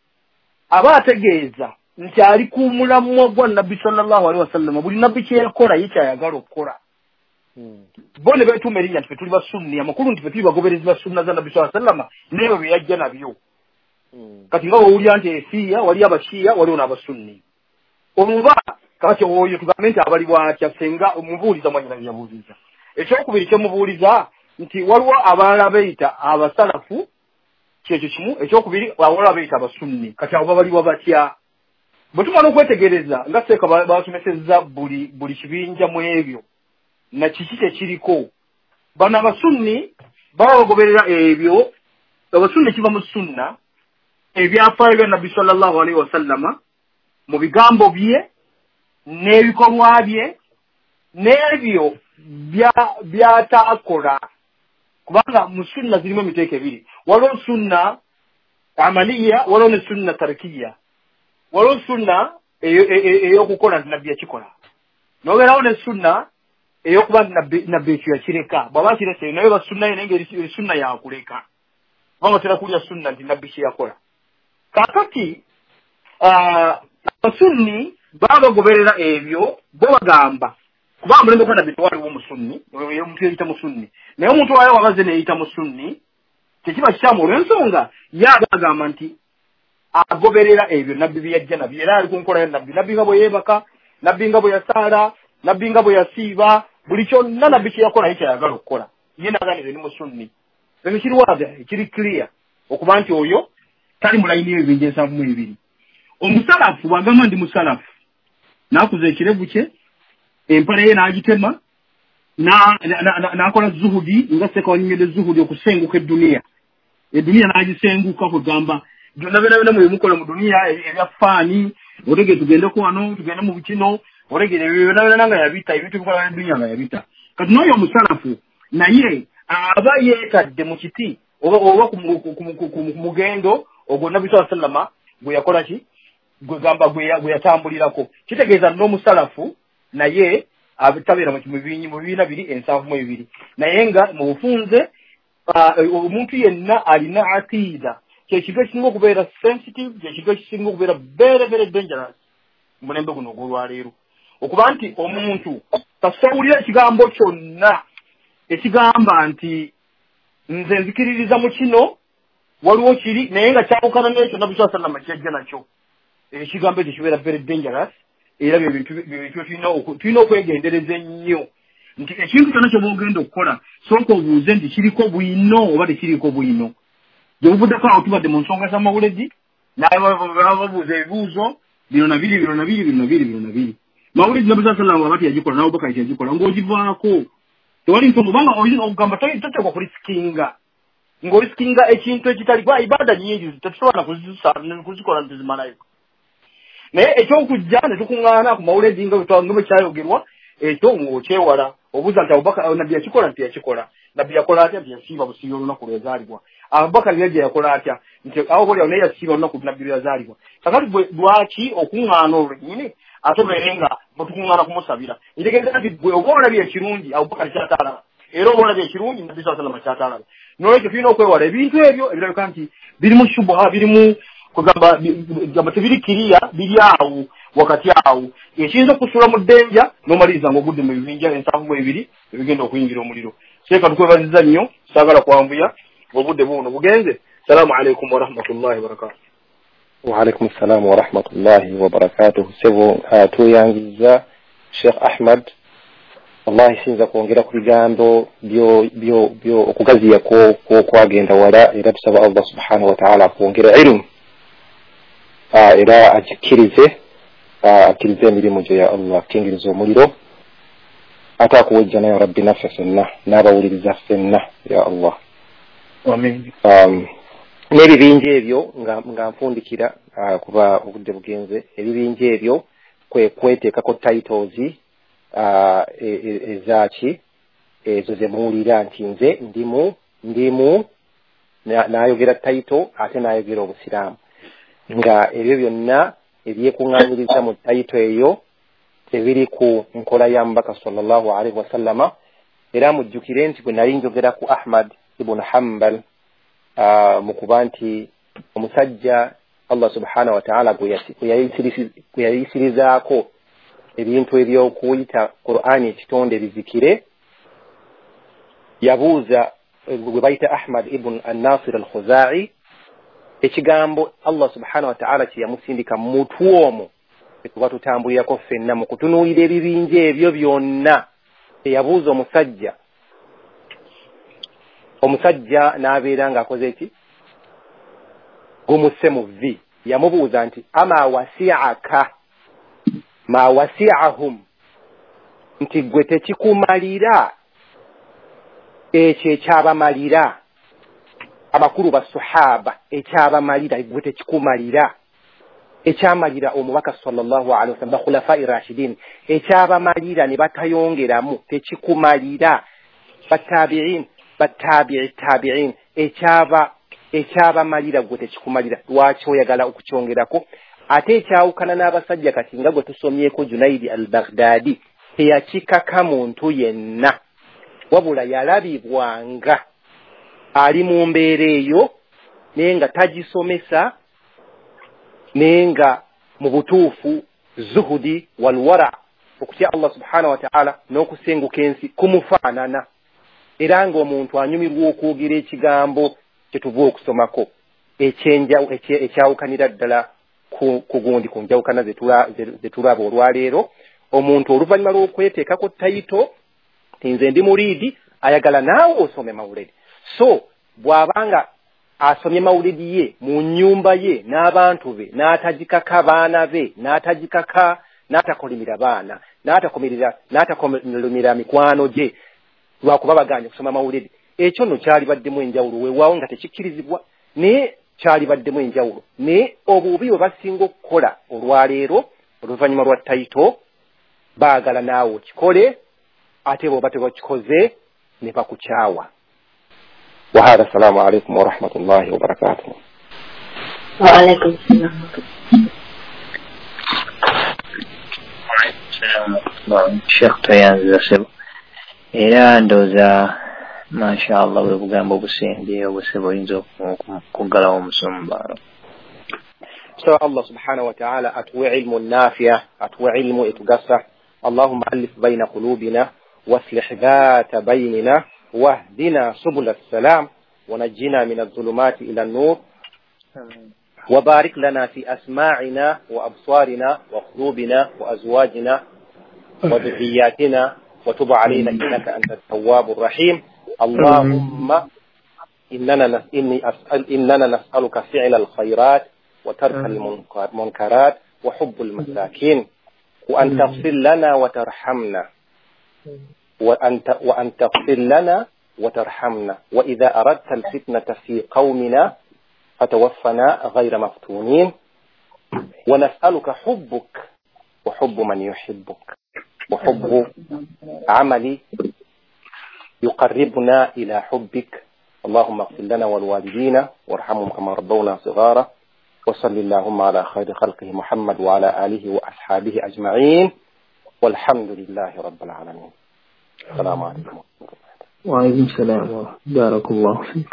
aba ategeeza nti ali ku mulamwa gwa Nabbi sallallahu alaihi wasallam, buli nabbi kyeyakola ye kyayagala okukola. Bo ne beetuuma erinnya nti ffe tuli basunni, amakulu nti ffe tuli bagoberezi ba sunna za Nabbi sallallahu alaihi wasallam n'ebyo bye yajja nabyo. Kati nga wowulira nti esiiya waliyo abashiya waliwo n'abasunni, omuba kakati oyo tugambe nti abali bwatya senga omubuuliza mwanyina bye yabuuziza. Ekyokubiri kyemubuuliza nti waliwo abalala beeyita abasalafu, kyekyo kimu. Ekyokubiri waliwo abeeyita abasunni, kati abo babaliwa batya? Bwe tumala okwetegereza nga seeka basomesezza buli kibinja mu ebyo na kiki kyekiriko, bano abasunni baba bagoberera ebyo. Abasunni kiva mu sunna, ebyafaayo bya Nabbi sallallahu alaihi wasallama mu bigambo bye n'ebikolwa bye n'ebyo byataakola, kubanga mu sunna zirimu emiteeko ebiri, waliwo sunna amaliya, waliwo ne sunna tarikiya. Waliwo sunna ey'okukola nti Nabbi yakikola, n'obeerawo ne sunna ey'okuba nti Nabbi ekyo yakireka, bw'aba akirese naye ba sunna ye naye ng'eri sunna yakuleka, kubanga otera kulya sunna nti Nabbi kye yakola. Kaakati abasunni baba bagoberera ebyo, bo bagamba kubanga mulembe gwa Nabbi tewaliwo musunni, omuntu yeeyita musunni, naye omuntu wayo wabaze neeyita musunni tekiba kikyamu olw'ensonga ye aba agamba nti agoberera ebyo Nabbi bye yajja nabyo, era ali ku nkola ya Nabbi. Nabbi nga bwe yeebaka, Nabbi nga bwe yasaala, Nabbi nga bwe yasiiba, buli kyonna Nabbi kye yakola ye kyayagala okukola, ye n'aganize ni musunni. Ekyo kiri wazi, kiri clear okuba nti oyo tali mu layini y'ebibinja 72. Omusalafu bw'agamba ndi musalafu, n'akuza ekirevu kye, empale ye n'agitema, n'akola zuhudi nga seeka wanyumidde zuhudi okusenguka edduniya, edduniya n'agisenguka kwegamba byonna byonna byonna mwe mukola mu duniya ebya faani, otegere tugendeko wano tugende mu bukino, otegere ebyo byonna byonna nga yabita, ebintu ebikola edduniya nga yabita. Kati n'oyo omusalafu naye aba yeetadde mu kiti oba ku mugendo ogwo Nabbi sallallahu alaihi wasallama gwe yakola ki, gwe gamba gwe yatambulirako. Kitegeeza n'omusalafu Naye tabeera mu bibiina biri 72, naye nga mu bufunze omuntu yenna alina aqida kyekintu ekisinga okubeera sensitive, kyekintu ekisinga okubeera very very dangerous mu mulembe guno ogw'olwaleero, okuba nti omuntu tasawulira ekigambo kyonna ekigamba nti nze nzikiririza mu kino, waliwo kiri naye nga kyawukana n'ekyo Nabbi sallallahu alaihi wasallam kyajja nakyo. Ekigambo ekyo kibeera very dangerous, era bye bintu tulina okwegendereza ennyo nti ekintu kyonna ky'oba ogenda okukola sooka obuuze nti kiriko bwino oba tekiriko bwino. Gye buvuddeko awo tubadde mu nsonga z'amawuledi, nababuuza ebibuuzo bino na biri, bino na biri, bino na biri, bino na biri. Mawuledi Nabbi sallallahu alaihi wasallam aba teyagikola, n'Abubakari teyagikola, ng'ogivaako tewali nsonga, kubanga oyinza okugamba toteekwa kulisikinga, ng'olisikinga ekintu ekitali kuba ibaada nnyingi tetusobola kuzikola ntizimalayo. Naye ekyokujja ne tukuŋŋaana ku mawuledi nga bwe kyayogerwa, ekyo ng'okyewala. Obuuza nti Abubakar Nabbi yakikola nti yakikola, Nabbi yakola atya nti yasiiba busiibi olunaku lwe yazaalibwa, Abubakar yajja yakola atya nti awo boli awo naye yasiiba olunaku Nabbi lwe yazaalibwa. Kakati gwe lwaki okuŋŋaana olwo lwennyini ate obeere nga bwe tukuŋŋaana kumusabira? Ntegeeza nti gwe oba olabye ekirungi Abubakar ky'ataalaba, era oba olabye ekirungi Nabbi sallallahu alaihi wasallam ky'ataalaba. N'olwekyo tulina okwewala ebintu ebyo ebirabika nti birimu shubuha, birimu kugamba tebiri kiriya, biri awo wakati awo ekiyinza okusuula mu ddenja n'omaliriza ng'ogudde mu bibinja 72 ebigenda okuyingira omuliro. Seeka tukwebaziza nnyo, saagala kwanvuya, obudde buno bugenze. Salaamu alaikum warahmatullahi wabarakatuh. Wa alaikum salaam wa rahmatullahi wa barakatuh. Sebo tuyanziza Sheikh Ahmad, wallahi siyinza kwongera ku bigambo byo okugaziya kwagenda wala, era tusaba Allah subhanahu wa ta'ala akwongera ilmu, era agikkirize, akkirize emirimu gyo ya Allah, akkingirize omuliro ate akuwa ejjana ya Rabbi naffe ffenna n'abawuliriza ffenna ya Allah. Amin. N'ebibinja ebyo nga nfundikira kuba obudde bugenze, ebibinja ebyo kwe kweteekako titles ezaaki ezo ze muwulira nti nze ndimu n'ayogera title ate n'ayogera obusiraamu, nga ebyo byonna ebyekuŋŋaanyiriza mu title eyo tebiri ku nkola ya Mubaka sallallahu alaihi wasallama. Era mujjukire nti bwe nali njogera ku Ahmad ibn Hanbal mu kuba nti omusajja Allah subhanahu wa ta'ala gwe yayisirizaako ebintu ebyokuyita Qur'ani ekitonde bizikire, yabuuza gwe bayita Ahmad ibn an-Nasir al-Khuzai ekigambo Allah subhanahu wa ta'ala kye yamusindika mutwe omwo tuba tutambulirako ffenna mu kutunuulira ebibinja ebyo byonna. Eyabuuza omusajja n'abeera ng'akoze ki, gumusse mu vvi. Yamubuuza nti ama wasi'aka ma wasi'ahum, nti gwe tekikumalira ekyo ekyabamalira amakulu basahaba, ekyabamalira gwe tekikumalira ekyamalira omubaka sallallahu alaihi wasallam bakhulafai rashidin, ekyabamalira ne batayongeramu tekikumalira batabi'in batabi'i tabi'in, ekyabamalira gwe tekikumalira, lwaki oyagala okukyongerako? Ate ekyawukana n'abasajja kati nga gwe tusomyeko Junaidi al-Baghdadi teyakikaka muntu yenna, wabula yalabibwanga ali mu mbeera eyo naye nga tagisomesa, naye nga mu butuufu zuhudi walwara, okutya Allah subhanahu wa ta'ala n'okusenguka ensi kumufaanana, era ng'omuntu anyumirwa okwogera ekigambo kye tuva okusomako ekyawukanira ddala ku gundi ku njawukana ze tulaba olwaleero. Omuntu oluvannyuma lw'okweteekako tayito nze ndi muriidi, ayagala naawe osome mawuledi. So bw'abanga asomye mawuledi ye mu nnyumba ye n'abantu be, n'atagikaka baana be, n'atagikaka, n'atakolimira baana, n'atakolimira mikwano gye lwakuba baganye okusoma mawuledi, ekyo nno kyalibaddemu enjawulo. Weewaawo nga tekikkirizibwa, naye kyalibaddemu enjawulo. Naye obubi bwe basinga okukola olwaleero oluvannyuma lwa tayito, baagala naawe okikole, ate bw'oba tebakikoze ne bakukyawa. وهذا السلام عليكم ورحمة الله وبركاته. وعليكم السلام. Sheikh toyanziza ssebo, era ndowooza mashallah bwe bugambo obusembyeyo obusebo oyinza okuggalawo omusumba. So Allah subhanahu wa ta'ala atuwe ilmu nafiya, atuwe ilmu etugasa. Allahumma alif baina qulubina waslih dhata bainina wahdina subula salam ونجنا من الظلمات إلى النور وبارك لنا في أسماعنا وأبصارنا وقلوبنا وأزواجنا وذرياتنا وتب علينا إنك أنت التواب الرحيم. اللهم إننا نسألك فعل الخيرات وترك المنكرات وحب المساكين، وأن تغفر لنا وترحمنا، وأن تغفر لنا وترحمنا، وإذا أردت الفتنة في قومنا فتوفنا غير مفتونين، ونسألك حبك وحب من يحبك وحب عمل يقربنا إلى حبك. اللهم اغفر لنا والوالدين وارحمهم كما ربونا صغارا، وصل اللهم على خير خلقه محمد وعلى آله وأصحابه أجمعين، والحمد لله رب العالمين. السلام عليكم. وعليكم السلام بارك الله فيك.